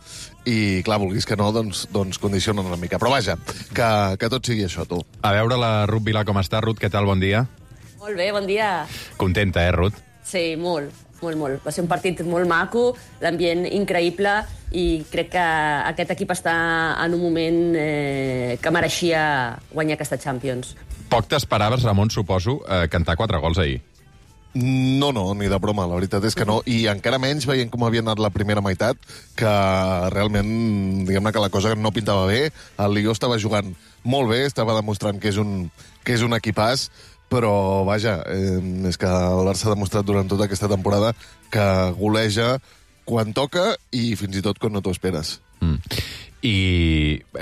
i, clar, vulguis que no, doncs, doncs condicionen una mica. Però vaja, que, que tot sigui això, tu. A veure la Ruth Vilà com està. Ruth, què tal? Bon dia. Molt bé, bon dia. Contenta, eh, Ruth? Sí, molt, molt, molt. Va ser un partit molt maco, l'ambient increïble i crec que aquest equip està en un moment eh, que mereixia guanyar aquesta Champions. Poc t'esperaves, Ramon, suposo, eh, cantar quatre gols ahir. No, no, ni de broma, la veritat és que no. I encara menys veient com havia anat la primera meitat, que realment, diguem-ne que la cosa no pintava bé. El Lió estava jugant molt bé, estava demostrant que és un, que és un equipàs, però, vaja, eh, és que el Barça ha demostrat durant tota aquesta temporada que goleja quan toca i fins i tot quan no t'ho esperes. Mm. I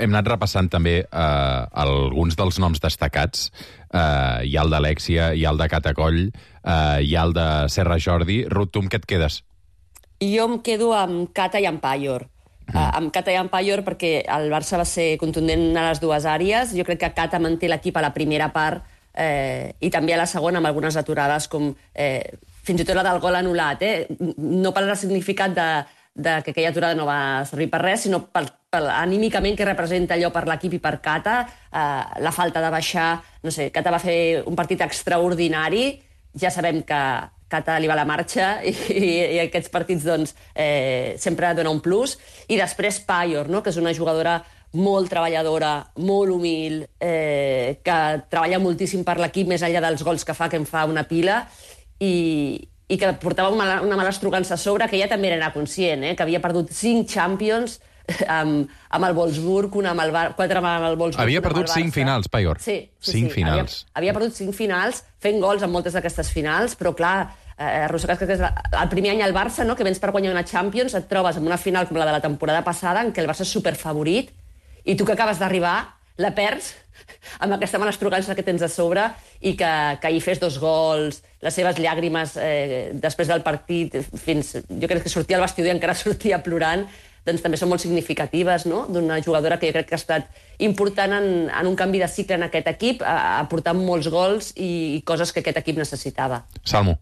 hem anat repassant també eh, alguns dels noms destacats. Eh, hi ha el d'Alexia, hi ha el de Catacoll, eh, hi ha el de Serra Jordi. Ruth, tu amb què et quedes? Jo em quedo amb Cata i amb Payor. Mm. Uh, amb Cata i amb Payor perquè el Barça va ser contundent a les dues àrees. Jo crec que Cata manté l'equip a la primera part eh, i també a la segona amb algunes aturades com eh, fins i tot la del gol anul·lat. Eh? No per el significat de, de que aquella aturada no va servir per res, sinó per, per anímicament que representa allò per l'equip i per Cata, eh, la falta de baixar, no sé, Cata va fer un partit extraordinari, ja sabem que Cata li va la marxa i, i, i aquests partits doncs, eh, sempre dona un plus, i després Payor, no? Que és una jugadora molt treballadora, molt humil, eh, que treballa moltíssim per l'equip, més enllà dels gols que fa, que en fa una pila, i, i que portava una, una mala estrugança a sobre, que ella també era conscient, eh, que havia perdut cinc Champions amb, amb el Wolfsburg, una amb el Bar... quatre amb el Wolfsburg. Havia perdut cinc finals, Payor. Sí, sí, cinc sí. finals. Havia, havia perdut cinc finals, fent gols en moltes d'aquestes finals, però clar, eh, arrossegat que és el primer any al Barça, no?, que vens per guanyar una Champions, et trobes en una final com la de la temporada passada, en què el Barça és superfavorit, i tu que acabes d'arribar, la perds amb aquesta mala estrugança que tens a sobre i que, que hi fes dos gols, les seves llàgrimes eh, després del partit, fins, jo crec que sortia al vestidor i encara sortia plorant. doncs també són molt significatives, no? D'una jugadora que jo crec que ha estat important en, en un canvi de cicle en aquest equip, ha aportat molts gols i, i coses que aquest equip necessitava. Salmo.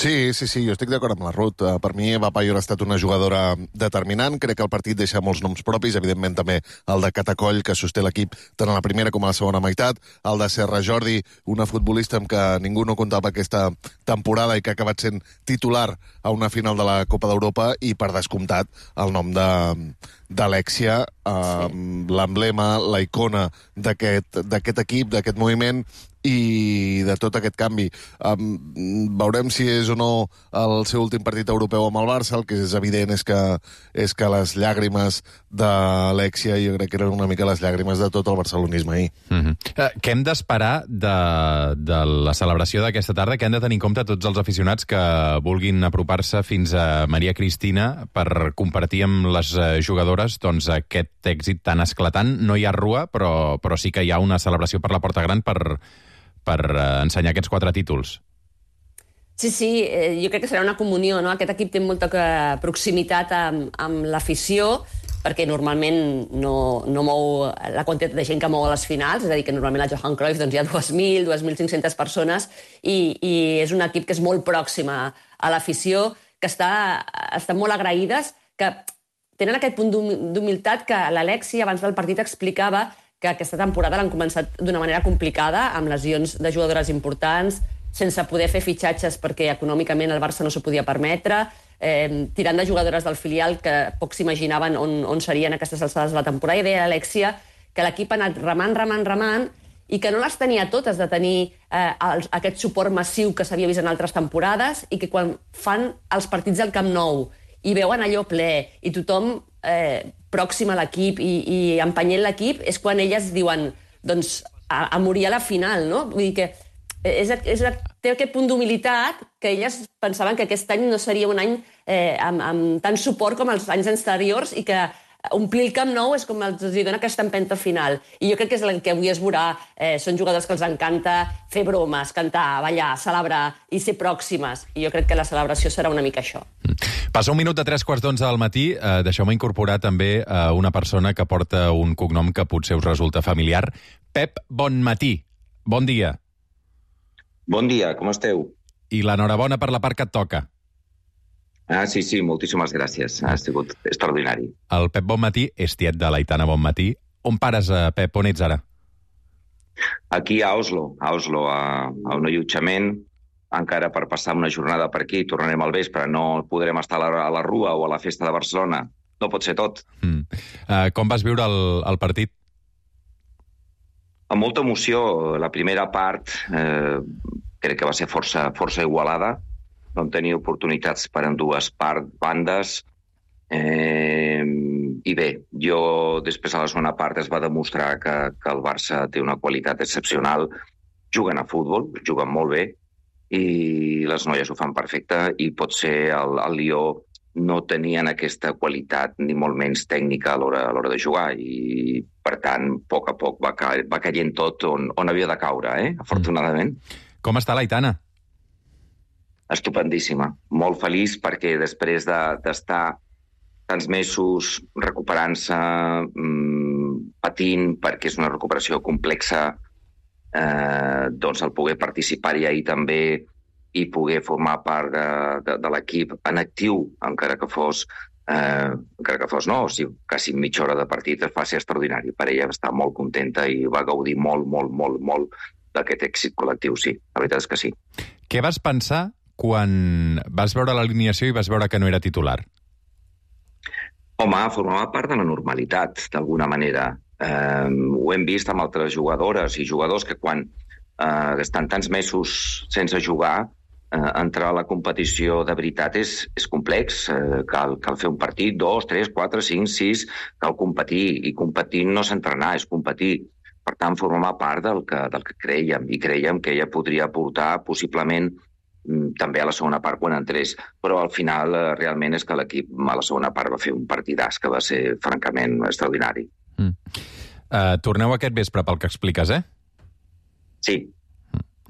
Sí, sí, sí, jo estic d'acord amb la Ruth. Uh, per mi, Eva Payor ha estat una jugadora determinant. Crec que el partit deixa molts noms propis, evidentment també el de Catacoll, que sosté l'equip tant a la primera com a la segona meitat, el de Serra Jordi, una futbolista amb què ningú no comptava aquesta temporada i que ha acabat sent titular a una final de la Copa d'Europa, i per descomptat el nom de d'Alexia, uh, sí. l'emblema, la icona d'aquest d'aquest equip, d'aquest moviment, i de tot aquest canvi. Um, veurem si és o no el seu últim partit europeu amb el Barça. El que és evident és que, és que les llàgrimes d'Alexia jo crec que eren una mica les llàgrimes de tot el barcelonisme ahir. Mm-hmm. Uh, què hem d'esperar de, de la celebració d'aquesta tarda? Què han de tenir en compte tots els aficionats que vulguin apropar-se fins a Maria Cristina per compartir amb les jugadores doncs, aquest èxit tan esclatant? No hi ha rua, però, però sí que hi ha una celebració per la Porta Gran per per ensenyar aquests quatre títols. Sí, sí, eh, jo crec que serà una comunió, no? Aquest equip té molta proximitat amb, amb l'afició, perquè normalment no, no mou la quantitat de gent que mou a les finals, és a dir, que normalment a Johan Cruyff doncs, hi ha dos mil, dos mil cinc-centes persones, i, i és un equip que és molt pròxim a, a l'afició, que està, estan molt agraïdes, que tenen aquest punt d'humilitat que l'Alexi abans del partit explicava que aquesta temporada l'han començat d'una manera complicada, amb lesions de jugadores importants, sense poder fer fitxatges perquè econòmicament el Barça no s'ho podia permetre, eh, tirant de jugadores del filial que pocs s'imaginaven on, on serien aquestes alçades de la temporada. I deia l'Alexia que l'equip ha anat remant, remant, remant, i que no les tenia totes de tenir eh, els, aquest suport massiu que s'havia vist en altres temporades, i que quan fan els partits del Camp Nou i veuen allò ple i tothom eh, pròxim a l'equip i, i empenyent l'equip, és quan elles diuen doncs, a, a morir a la final, no? Vull dir que és, és, té aquest punt d'humilitat que elles pensaven que aquest any no seria un any eh, amb, amb tant suport com els anys anteriors, i que omplir el Camp Nou és com els dona aquesta empenta final. I jo crec que és el que avui es veurà. Eh, són jugadors que els encanta fer bromes, cantar, ballar, celebrar i ser pròximes. I jo crec que la celebració serà una mica això. Passa un minut de tres quarts d'onze del matí. Eh, Deixeu-me incorporar també eh, una persona que porta un cognom que potser us resulta familiar. Pep Bonmatí. Bon dia. Bon dia, com esteu? I l'enhorabona per la part que et toca. Ah, sí, sí, moltíssimes gràcies. Ha sigut extraordinari. El Pep Bonmatí és tiet de l'Aitana Bonmatí. On pares, Pep? On ets ara? Aquí a Oslo, a Oslo, a, a un allotjament, encara per passar una jornada per aquí. Tornarem al vespre, no podrem estar a la, a la Rua o a la festa de Barcelona. No pot ser tot. Mm. Uh, com vas viure el, el partit? Amb molta emoció. La primera part eh, crec que va ser força, força igualada. Vam tenir oportunitats per en dues part, bandes, eh, i bé, jo després a la segona part es va demostrar que, que el Barça té una qualitat excepcional, juguen a futbol, juguen molt bé, i les noies ho fan perfecte, i potser el, el Lió no tenien aquesta qualitat ni molt menys tècnica a l'hora a l'hora de jugar, i per tant, a poc a poc va, ca va caient tot on, on havia de caure, eh? Afortunadament. Com està l'Aitana? Estupendíssima. Molt feliç perquè després d'estar de, tants mesos recuperant-se, mmm, patint, perquè és una recuperació complexa, eh, doncs el poder participar-hi ahir també i poder formar part de, de, de l'equip en actiu, encara que fos, eh, encara que fos no, o sigui, quasi mitja hora de partit, va ser extraordinari. Per ella va estar molt contenta i va gaudir molt, molt, molt, molt d'aquest èxit col·lectiu, sí. La veritat és que sí. Què vas pensar quan vas veure l'alineació i vas veure que no era titular? Home, formava part de la normalitat, d'alguna manera. Eh, ho hem vist amb altres jugadores i jugadors que quan eh, estan tants mesos sense jugar, eh, entrar a la competició de veritat és, és complex. Eh, cal, cal fer un partit, dos, tres, quatre, cinc, sis, cal competir. I competir no és entrenar, és competir. Per tant, formava part del que, del que creiem. I creiem que ella podria aportar possiblement també a la segona part quan entrés, però al final eh, realment és que l'equip a la segona part va fer un partidàs que va ser francament extraordinari. Mm. Uh, torneu aquest vespre pel que expliques, eh? Sí. Mm.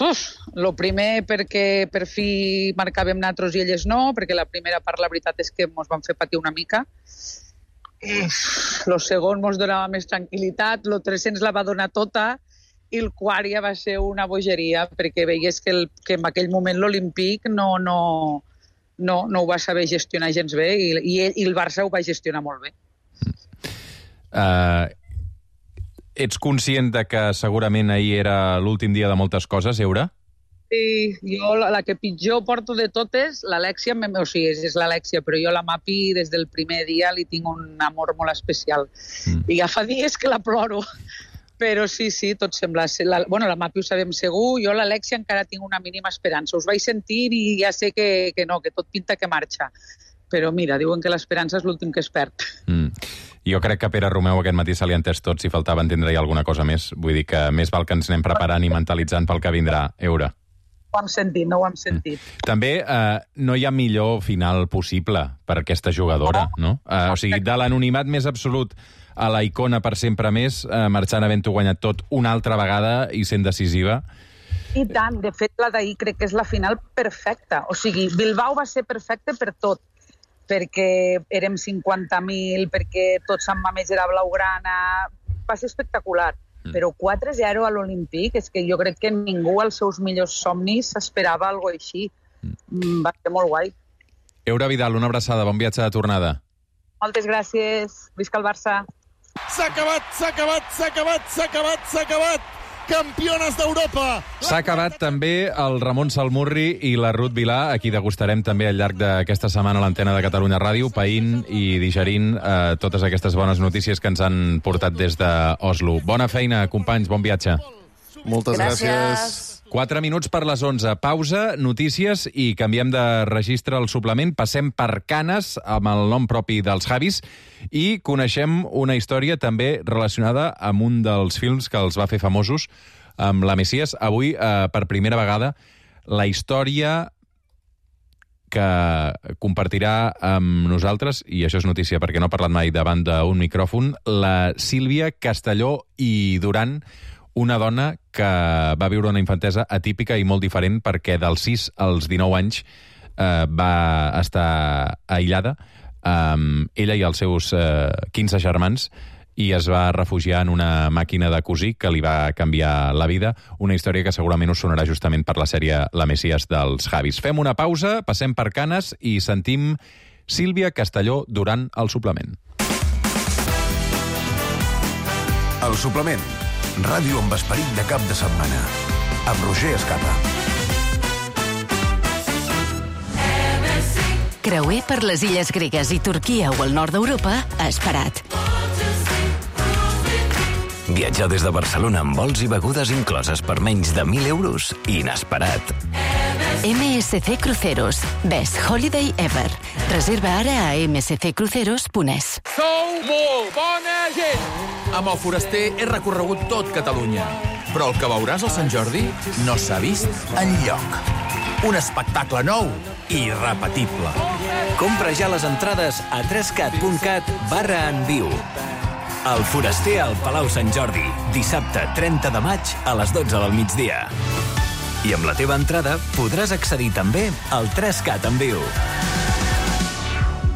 Uf, lo primer perquè per fi marcàvem nosaltres i elles no, perquè la primera part la veritat és que ens van fer patir una mica. Lo segon ens donava més tranquil·litat, lo tercer ens la va donar tota i el quart ja va ser una bogeria, perquè veies que, el, que en aquell moment l'Olímpic no, no, no, no ho va saber gestionar gens bé i, i, i el Barça ho va gestionar molt bé. Uh, ets conscient de que segurament ahir era l'últim dia de moltes coses, Eura? Sí, jo la, la que pitjor porto de totes, l'Alexia, o sigui, és, és l'Alexia, però jo la Mapi des del primer dia li tinc un amor molt especial. Mm. I ja fa dies que la ploro. Però sí, sí, tot sembla ser... La, bueno, la Mapi ho sabem segur, jo l'Alexia encara tinc una mínima esperança. Us vaig sentir i ja sé que, que no, que tot pinta que marxa. Però mira, diuen que l'esperança és l'últim que es perd. Mm. Jo crec que Pere Romeu aquest matí se li ha entès tot, si faltava entendre-hi alguna cosa més. Vull dir que més val que ens anem preparant i mentalitzant pel que vindrà, Eura. Ho hem sentit, no ho hem sentit. Mm. També eh, no hi ha millor final possible per aquesta jugadora, no? Eh, o sigui, de l'anonimat més absolut a la icona per sempre més, eh, marxant havent-ho guanyat tot una altra vegada i sent decisiva. I tant, de fet, la d'ahir crec que és la final perfecta. O sigui, Bilbao va ser perfecte per tot, perquè érem cinquanta mil, perquè tot Sant Mamés era blaugrana, va ser espectacular. Mm. Però quatre zero a l'Olímpic, és que jo crec que ningú als seus millors somnis s'esperava alguna cosa així. Mm. Va ser molt guai. Eura Vidal, una abraçada, bon viatge de tornada. Moltes gràcies, visca el Barça. S'ha acabat, s'ha acabat, s'ha acabat, s'ha acabat, s'ha acabat! Campiones d'Europa! S'ha acabat també el Ramon Salmurri i la Ruth Vilà, a qui degustarem també al llarg d'aquesta setmana a l'antena de Catalunya Ràdio, païnt i digerint eh, totes aquestes bones notícies que ens han portat des d'Oslo. Bona feina, companys, bon viatge. Moltes gràcies. gràcies. Quatre minuts per les onze. Pausa, notícies i canviem de registre al suplement. Passem per Canes, amb el nom propi dels Javis, i coneixem una història també relacionada amb un dels films que els va fer famosos, amb la Messias. Avui, eh, per primera vegada, la història que compartirà amb nosaltres, i això és notícia perquè no ha parlat mai davant d'un micròfon, la Sílvia Castelló i Duran, una dona que va viure una infantesa atípica i molt diferent perquè dels sis als dinou anys eh, va estar aïllada, eh, ella i els seus eh, quinze germans, i es va refugiar en una màquina de cosir que li va canviar la vida, una història que segurament us sonarà justament per la sèrie La Messias dels Javis. Fem una pausa, passem per Canes i sentim Sílvia Castelló durant el suplement. El suplement. Ràdio amb esperit de cap de setmana. Amb Roger Escapa. Creuer per les illes gregues i Turquia o el nord d'Europa, esperat. Viatjar des de Barcelona amb vols i begudes incloses per menys de mil euros, inesperat. M S C Cruceros. Best Holiday Ever. Reserva ara a m s c cruceros punt e s. Sou molt bona gent! Amb el Foraster he recorregut tot Catalunya. Però el que veuràs al Sant Jordi no s'ha vist enlloc. Un espectacle nou i irrepetible. Compra ja les entrades a trescat punt cat barra en viu. El Foraster al Palau Sant Jordi, dissabte trenta de maig a les dotze del migdia. I amb la teva entrada podràs accedir també al trescat en viu.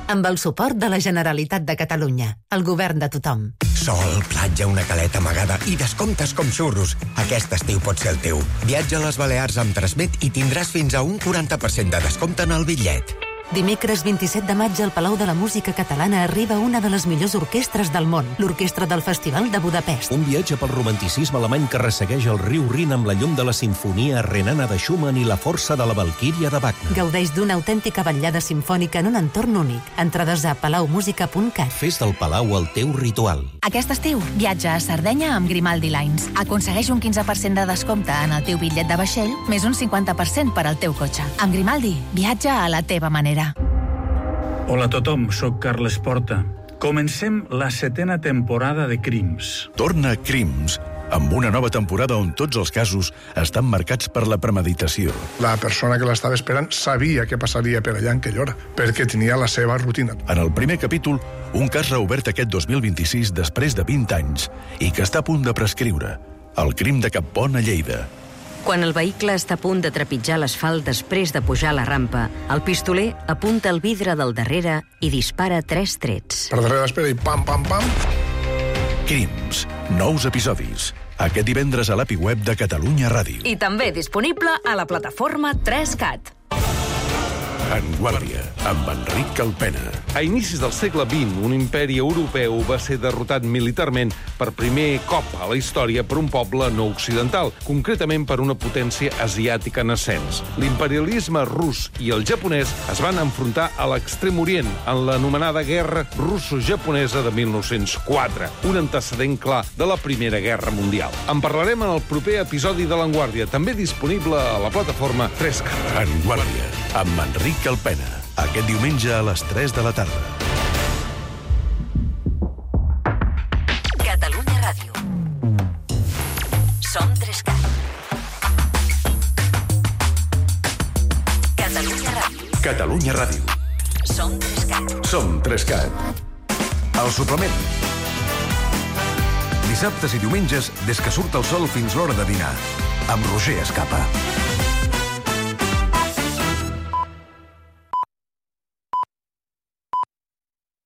Amb el suport de la Generalitat de Catalunya, el govern de tothom. Sol, platja, una caleta amagada i descomptes com xurros. Aquest estiu pot ser el teu. Viatja a les Balears amb Transmet i tindràs fins a un quaranta per cent de descompte en el bitllet. Dimecres vint-i-set de maig al Palau de la Música Catalana arriba una de les millors orquestres del món, l'Orquestra del Festival de Budapest. Un viatge pel romanticisme alemany que ressegueix el riu Rin amb la llum de la sinfonia renana de Schumann i la força de la Valquíria de Wagner. Gaudeix d'una autèntica vetllada simfònica en un entorn únic. Entrades a palau musica punt cat. Fes del Palau el teu ritual. Aquest estiu, viatja a Sardenya amb Grimaldi Lines. Aconsegueix un quinze per cent de descompte en el teu bitllet de vaixell, més un cinquanta per cent per al teu cotxe. Amb Grimaldi, viatja a la teva manera. Hola a tothom, sóc Carles Porta. Comencem la setena temporada de Crims. Torna Crims, amb una nova temporada on tots els casos estan marcats per la premeditació. La persona que l'estava esperant sabia què passaria per allà en aquella hora, perquè tenia la seva rutina. En el primer capítol, un cas reobert aquest dos mil vint-i-sis després de vint anys i que està a punt de prescriure. El crim de Cap Pont a Lleida. Quan el vehicle està a punt de trepitjar l'asfalt després de pujar la rampa, el pistoler apunta el vidre del darrere i dispara tres trets. Per darrere espera i pam, pam, pam. Crims. Nous episodis. Aquest divendres a l'API web de Catalunya Ràdio. I també disponible a la plataforma tres cat. En Guàrdia, amb Enric Calpena. A inicis del segle vint, un imperi europeu va ser derrotat militarment per primer cop a la història per un poble no occidental, concretament per una potència asiàtica en ascens. L'imperialisme rus i el japonès es van enfrontar a l'extrem orient en l'anomenada Guerra Russo-Japonesa de mil nou-cents quatre, un antecedent clar de la Primera Guerra Mundial. En parlarem en el proper episodi de l'Enguàrdia, també disponible a la plataforma tres cat. En Guàrdia, amb Enric Calpena, aquest diumenge a les tres de la tarda. Catalunya Ràdio. Som tres cat. Catalunya Ràdio. Catalunya Ràdio. Som tres cat. Som tres cat. El suplement. Dissabtes i diumenges, des que surt el sol fins l'hora de dinar. Amb Roger Escapa.